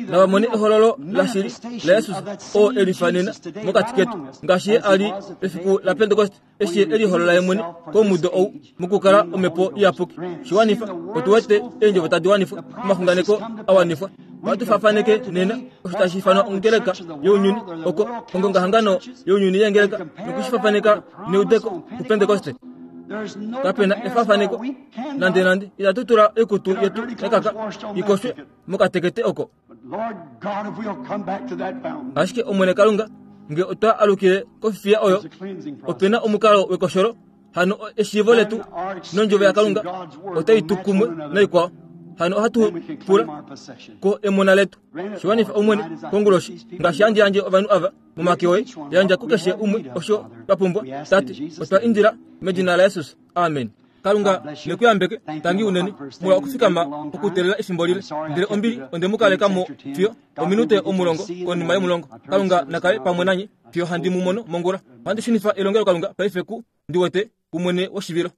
Nava mone ehololo lashili laJesus oo e lifa nena mokati ketu, ngaashi Ye a li pefiku laPentekoste eshi Ye e liholola Ye mwene komudo ou mokukala Omhepo Iyapuki. Shi wanifa, otu wete eendjovo tadi wanifwa, omaxunganeko a wanifwa. Ohatu faafaneke nena osho tashi ifanwa ongeleka younyuni, oko ongongahangano younyuni yeengeleka, noku shi faafaneka neudeko kuPentekoste. Kape na efaafaneko nandenande. Itatu tula oikutu yetu ya kaka i koshwe mokatekete oko. Ashike Omwene Kalunga, nge otwa alukile kofifiya oyo, ope na omukalo wekosholo, hano eshiivo letu nondjovo yaKalunga otai tu kumwe naikwao. Hano ohatu pula ko emona letu. Shiwanifa Omwene konguloshi, ngaashi handi yandje ovanhu ava momake oye, yandja kukeshe umwe osho twa pumbwa. Tate, otwa indila medina laJesus. Amen. Kalunga ne ku yambeke. Tangi unene molwa okufikama okuteelela efimbo lile. Ndele ombili onde mu kaleka mo fiyo ominute omulongo konima yomulongo. Kalunga na kale pamwe nanye fiyo handi mu mono mongula. Ohandi shunifa elongelokalunga paife ku, ndi wete, kumwene woshivilo.